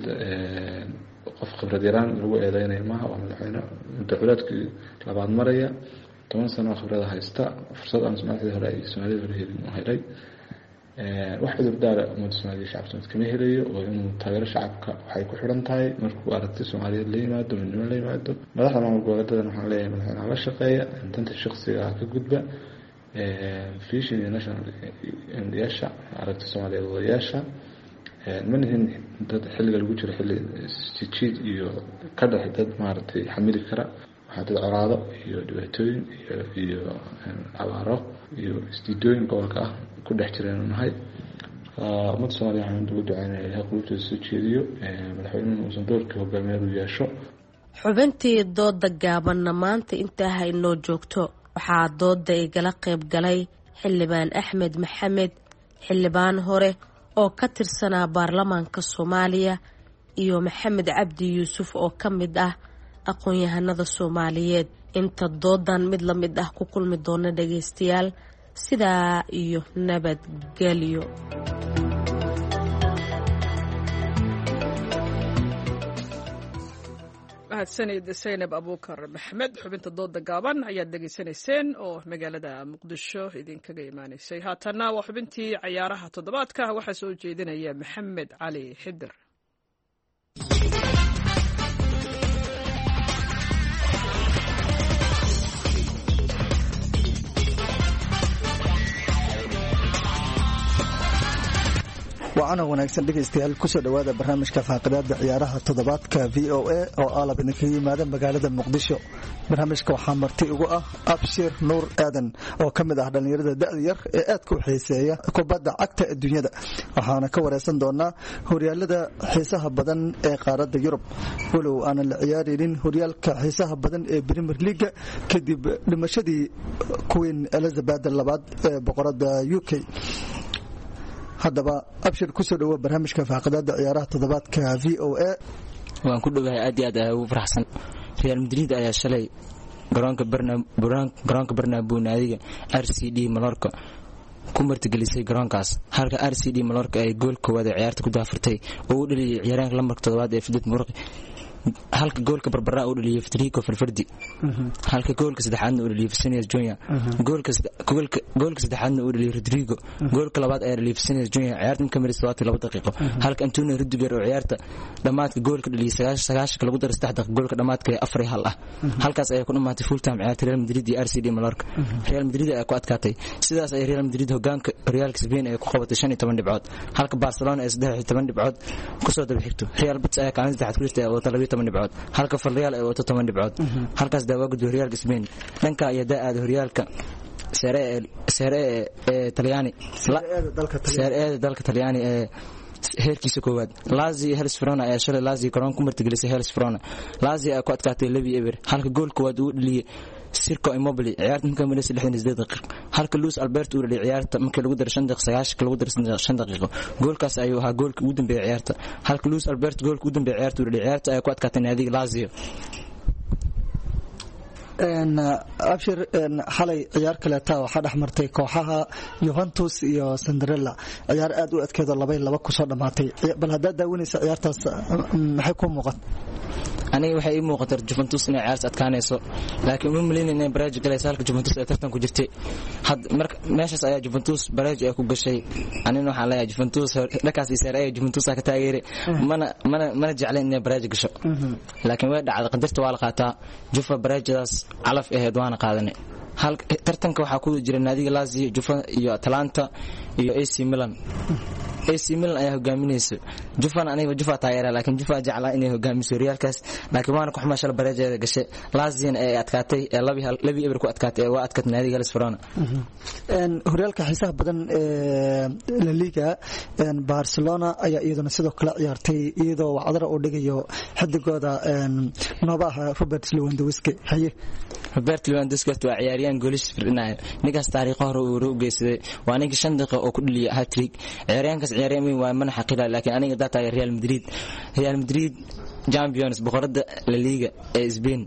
qof khibrad yaraan lagu eedeynayo maaha. Waa madaxweyne muddo culaadkii labaad maraya, 10 sano oo khibrada haysta, fursad aan madaxdii hore iyo Soomaalida hore helin u helay. Wax cudur daara ummadda Soomaaliya, shacabka Soomaaliyeed kama helayo, oo inuu taageero shacabka waxay ku xidhan tahay markuu aragti Soomaaliyeed la yimaado, midnimo la yimaado. Madaxda maamul goboleedadan waxaan leeyahay madaxweynaha la shaqeeya, danta shakhsiga ka gudba, vision iyo national yeesha, aragti Soomaaliyeed wadayaasha. Ma nihin dad xilliga lagu jiro xilli jijiid iyo ka dhex dad maaragtay xamili kara. Waxaa dad colaado iyo dhibaatooyin iyo abaaro iyo isdiidooyin gobolka ah ku dhex jiraynu nahay. Ummadda Soomaaliya waxaan ugu ducaynaya Ilahay qulubtooda soo jeediyo, madaxweynuhuna uusan doorkii hogaamiyeed u yeesho. Xubintii dooda gaabanna maanta intaa haynoo joogto. Waxaa dooda igala qayb galay Xildhibaan Axmed Maxamed, xildhibaan hore oo ka tirsanaa baarlamaanka Soomaaliya, iyo Maxamed Cabdi Yuusuf oo ka mid ah aqoon-yahanada Soomaaliyeed. Inta doodan mid la mid ah ku kulmi doona dhagaystayaal, sidaa iyo nabadgelyo. Mahadsanid Saynab Abuukar Maxmed. Xubinta dooda gaaban ayaad dhegaysanayseen oo magaalada Muqdisho idinkaga imaanaysay. Haatanna waa xubintii cayaaraha toddobaadka, waxaa soo jeedinaya Maxamed Cali Xidir. Waacana wanaagsan dhegaystayaal, kusoo dhowaada barnaamijka faaqidaada ciyaaraha toddobaadka v o a oo aalab idinkaga yimaada magaalada Muqdisho. Barnaamijka waxaa marti ugu ah Abshir Nuur Aadan oo ka mid ah dhallinyarada da'da yar ee aadka u xiiseeya kubadda cagta adduunyada, waxaana ka wareysan doonaa horyaalada xiisaha badan ee qaaradda Yurub, walow aanan la ciyaaraynin horyaalka xiisaha badan ee Premier Leaga kadib dhimashadii Queen Elizabeth labaad ee boqorada UK. Haddaba Abshir, kusoo dhawo barnaamijka faaqidaada ciyaaraha toddobaadka v o a. Waan ku dhowahay, aad iyo aad ayaa ugu faraxsan. Real Madrid ayaa shalay garoonka Bernabeu naadiga R C D Mallorca ku martigelisay garoonkaas, halka R C D Mallorca ay gool koowaad ee ciyaarta ku daafurtay oo u dhaliyay ciyaaryahanka lambarka toddobaad ee Fidad Murqi, halka goolka barbaraa uu dhaliyay Federico Valverde, halka goolka saddexaadna uu dhaliyay Vinicius Junior, goolka saddexaadna uu dhaliyay Rodrigo, goolka labaad ayaa dhaliyay Vinicius Junior ciyaarta marka maris 72 daqiiqo, halka Antonio Rudiger oo ciyaarta dhamaadka goolka dhaliyay 99 lagu daray 3 daqiiqo, goolka dhamaadka ee 4-1 ah. Halkaas ayaa ku dhamaatay full time ciyaarta Real Madrid iyo RCD Mallorca. Real Madrid ayaa ku adkaatay, sidaas ay Real Madrid hogaanka horyaalka Spain ay ku qabatay 15 dhibcood, halka Barcelona ay 13 dhibcood kusoo daba xigto. Real Betis ayaa kaalin saddexaad ku jirta ee wata 12 dhibcood, halka Villarreal ay wato 10 dhibcood. Halkaas daa waa gudbay horyaalka Spain. Dhanka ayaa daa aaday horyaalka Serie ee Talyaani, Serie ee dalka Talyaani ee heerkiisa koowaad. Lazio iyo Hellas Verona ayaa shalay Lazio garoon ku martigelisay Hellas Verona. Lazio ayaa ku adkaatay 2-0, halka gool koowaad uu dhaliyay Sirko Immobile ciyaarta markay marisay 68 daqiiqo, halka Luis Alberto uu dhaliyay ciyaarta markii lagu daray 5 daqiiqo 90 lagu daray 5 daqiiqo. Goolkaas ayuu ahaa goolkii ugu dambeeyay ciyaarta, halka Luis Alberto goolkii ugu dambeeyay ciyaarta uu dhaliyay. Ciyaarta ayaa ku adkaatay naadiga Lazio. Abshir, xalay ciyaar kaleeta waxaa dhex martay kooxaha Juventus iyo Cinderella, ciyaar aad u adkeedo 2-2 kusoo dhammaatay. Bal haddaad daawanaysa ciyaartaas, maxay ku muuqat? Aniga waxay ii muuqataa Juventus inay ciyaarta adkaanayso, laakiin uma maleynayn inay baraaji galayso halka Juventus ay tartan ku jirtay. Had marka meeshaas ayaa Juventus baraaji ay ku gashay. Anina waxaan leeyahay Juventus dhankaas iyo Serie A Juventus ka taageeray, mana jeclayn inay baraaji gasho, laakiin way dhacday, qadarta waa la qaataa. Juve baraajadaas calaf ahayd waana qaadanay. Hal tartanka waxaa ku jira naadiga Lazio, Juve iyo Atalanta iyo AC Milan. AC Milan ayaa hogaaminaysa. Jufan aniga Jufa taageera, laakiin Jufa jeclaa inay hogaamiso horyaalkaas, laakiin waana ku xumaa shalay bareejeeda gashay. Laziona ay adkaatay ee 2-0 ku adkaatay ee waa adkaatay naadiga Hellas Verona. Horyaalka xiisaha badan ee La Liga, Barcelona ayaa iyaduna sidoo kale ciyaartay iyadoo wacdara uu dhigayo xidigooda noobaha Robert Lewandowski. Haye. Robert Lewandowski horta waa ciyaaryahan goolishiis firdhinaya. Ninkaas taariikho hore uu u geysaday, waa ninkii 5 daqiiqo oo ku dhaliyay hat-trick. Ciyaaryahankaas ciyaaryahan weyn waa, mana xaqira, laakiin aniga hadaa taageer Real Madrid, Real Madrid champions, boqorada La Liga ee Spain,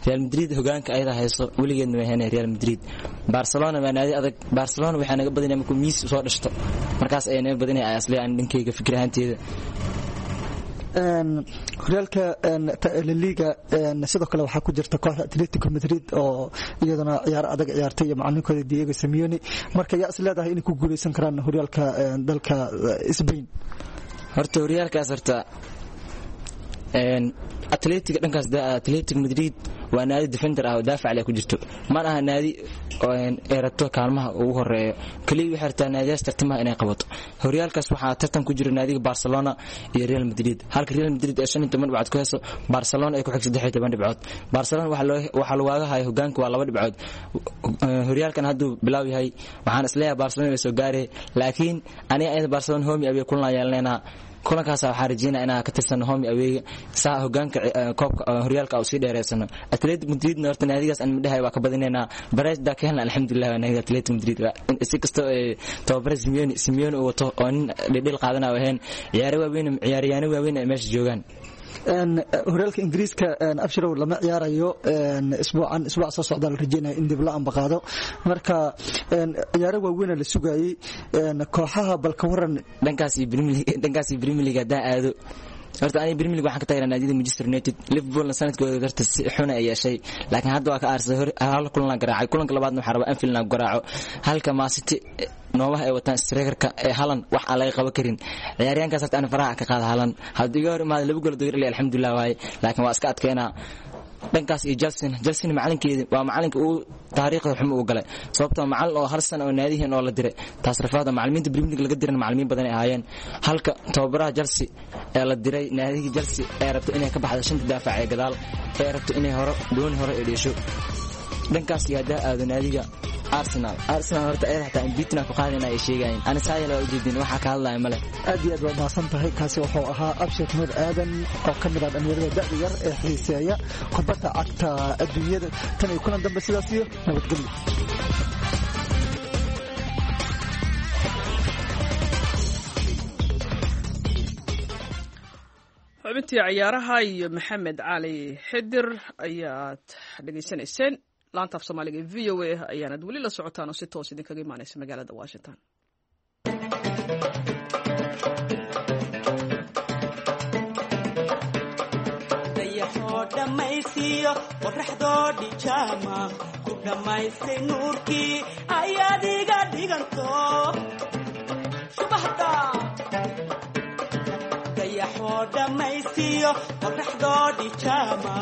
Real Madrid hogaanka ayada hayso, weligeedna way haynay Real Madrid. Barcelona waa naadi adag. Barcelona waxay naga badinaya markuu Messi soo dhashto, markaas ayay naga badinaya asli aan dhankeyga fikir ahaanteeda. Horyaalka La Liga sidoo kale waxaa ku jirta kooxda Atletico Madrid oo iyaduna ciyaar adag ciyaartay iyo macalinkooda Diego Simeone. Marka yaa is leedahay inay ku guuleysan karaan horyaalka dalka Spain? Horta horyaalkaas horta Atletico dhankaas, Atletico Madrid waa naadi defender ah oo daafac leh ku jirto, mana aha naadi ay rabto kaalmaha ugu horeeyo. Kaliya waxay rabtaa naadiyaas tartamaha inay qabato. Horyaalkaas waxaa tartan ku jira naadiga Barcelona iyo Real Madrid, halka Real Madrid ay 15 dhibcood ku hayso, Barcelona ay ku xigto 13 dhibcood. Barcelona waxaa lagu haya hogaanka waa 2 dhibcood. Horyaalkan hadduu bilaaw yahay, waxaan isleeyahay Barcelona way soo gaarey, laakiin aniga ayada Barcelona home away kulan yeelanaynaa. Kulankaas waxaan rajeynaa inaan ka tirsano home away saa hogaanka koobka horyaalka sii dheereysano. Atletico Madridna horta naadigaas aan midhahay waa ka badinaynaa. Bareejda ka helna alxamdulilah. Waa naadiga Atletico Madrid, si kasta tababare Simeone uu wato oo nin dhidhil qaadanayo ahayn, ciyaaro waaweyn, ciyaaryahanno waaweyn ay meesha joogaan. Horyaalka Ingiriiska, Abshirow, lama ciyaarayo isbuucan, isbuuc soo socda la rajeynaya in dib la ambaqaado. Marka ciyaaro waaweyna la sugayay kooxaha, balka waran. Dhankaas iyo Premier League haddaan aado, horta aniga Premier League waxaan ka taageeraa naadiyada Manchester United. Liverpoolna sanadkooda horta si xun ay yeeshay, laakiin hadda waa ka aarsaday, hal kulan garaacay, kulanka labaadna waxaa rabaa Anfield inaan garaaco. Halka Man City noomaha ay wataan strikerka ee Haaland wax aan laga qaban karin. Ciyaaryahankaas horta aan faraha ka qaada Haaland, haddii iga hor imaado 2 gool doyr, alxamdulillah waaye, laakiin waa iska adkeynaa. Dhankaas iyo Chelsea macalinkeedi waa macalinka uu taariikhda xumo u galay, sababtoo macalin oo hal sano oo naadihiin oo la diray taas rafaada. Macalimiinta Premier League laga diran macalimiin badan ay ahaayeen, halka tababaraha Chelsea ee la diray naadiga Chelsea ee rabto inay ka baxdo shanta daafac ee gadaal ee rabto inay hore dooni hore ay dheesho. Dhankaas iyo haddaa aado naadiga Arsenal, horta ayada xataa unbeaten ku qaadayna ay sheegayeen, ani saayala waa ujeedin waxaa ka hadlaya male. Aad iyo aad waa mahadsan tahay. Kaasi wuxuu ahaa Abshir Nuur Aadan oo ka mid ah dhalinyarada da'da yar ee xiiseeya kubadda cagta adduunyada. Tan iyo kulan dambe, sidaas iyo nabadgelyo. Xubintii ciyaaraha iyo Maxamed Cali Xidir ayaad dhegaysanayseen. Laanta af Soomaaliga ee VOA ayaanad weli la socotaan oo si toos idinkaga imaanaysa magaalada Washington. Dayaxoo dhammaysiiyo qoraxdoo dhijaama ku dhammaystay nuurkii ayaad iga dhiganto subaxda. Dayaxoo dhammaysiiyo qoraxdoo dhijaama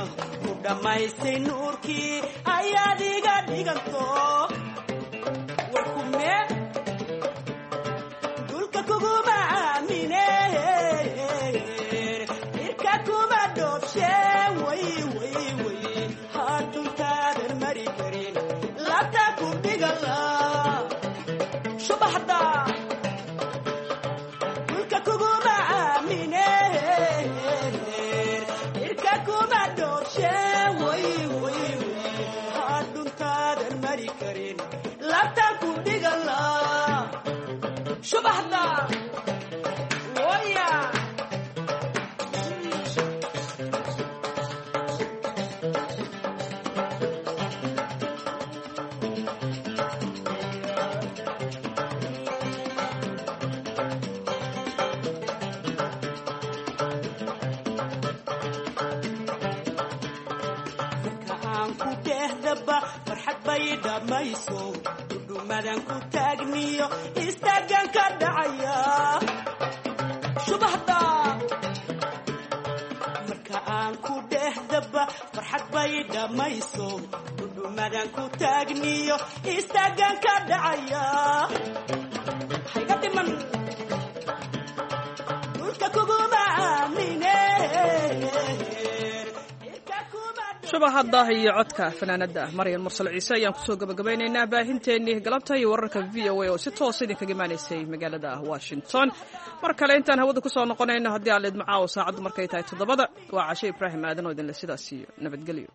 ku dhammaystay nuurkii ayaad iga dhiganto warkume dhulka kuguma aamine, irka kuma dhoobshe, way way way haaduntaadan mari karin laabta ku dhigala subaxda. Dhulka kuguma aamine, irka kuma dhoobshe, way way way haaduntaadan mari karin laabta ku dhigala subaxda waya. dhehdaba farxad bay dhammayso, dhudhumadan ku taagniyo istaagan ka dhacaya shubahda. Marka aan ku dhehdaba farxad bay dhammayso, dhudhumadan ku taagniyo istaagan ka dhacaya. Hayga dhiman dhulka kuguma aamine. Shubahadda iyo codka fanaanada Maryan Mursal Ciise ayaan kusoo gabagabaynaynaa baahinteennii galabta iyo wararka VOA oo si toosa idinkaga imaanaysay magaalada Washington. Mar kale intaan hawada kusoo noqonayno, haddii aan leedmo, caawo saacaddu markay tahay 7da, waa Cashe Ibraahim Aadan oo idinle sidaas iyo nabadgelyo.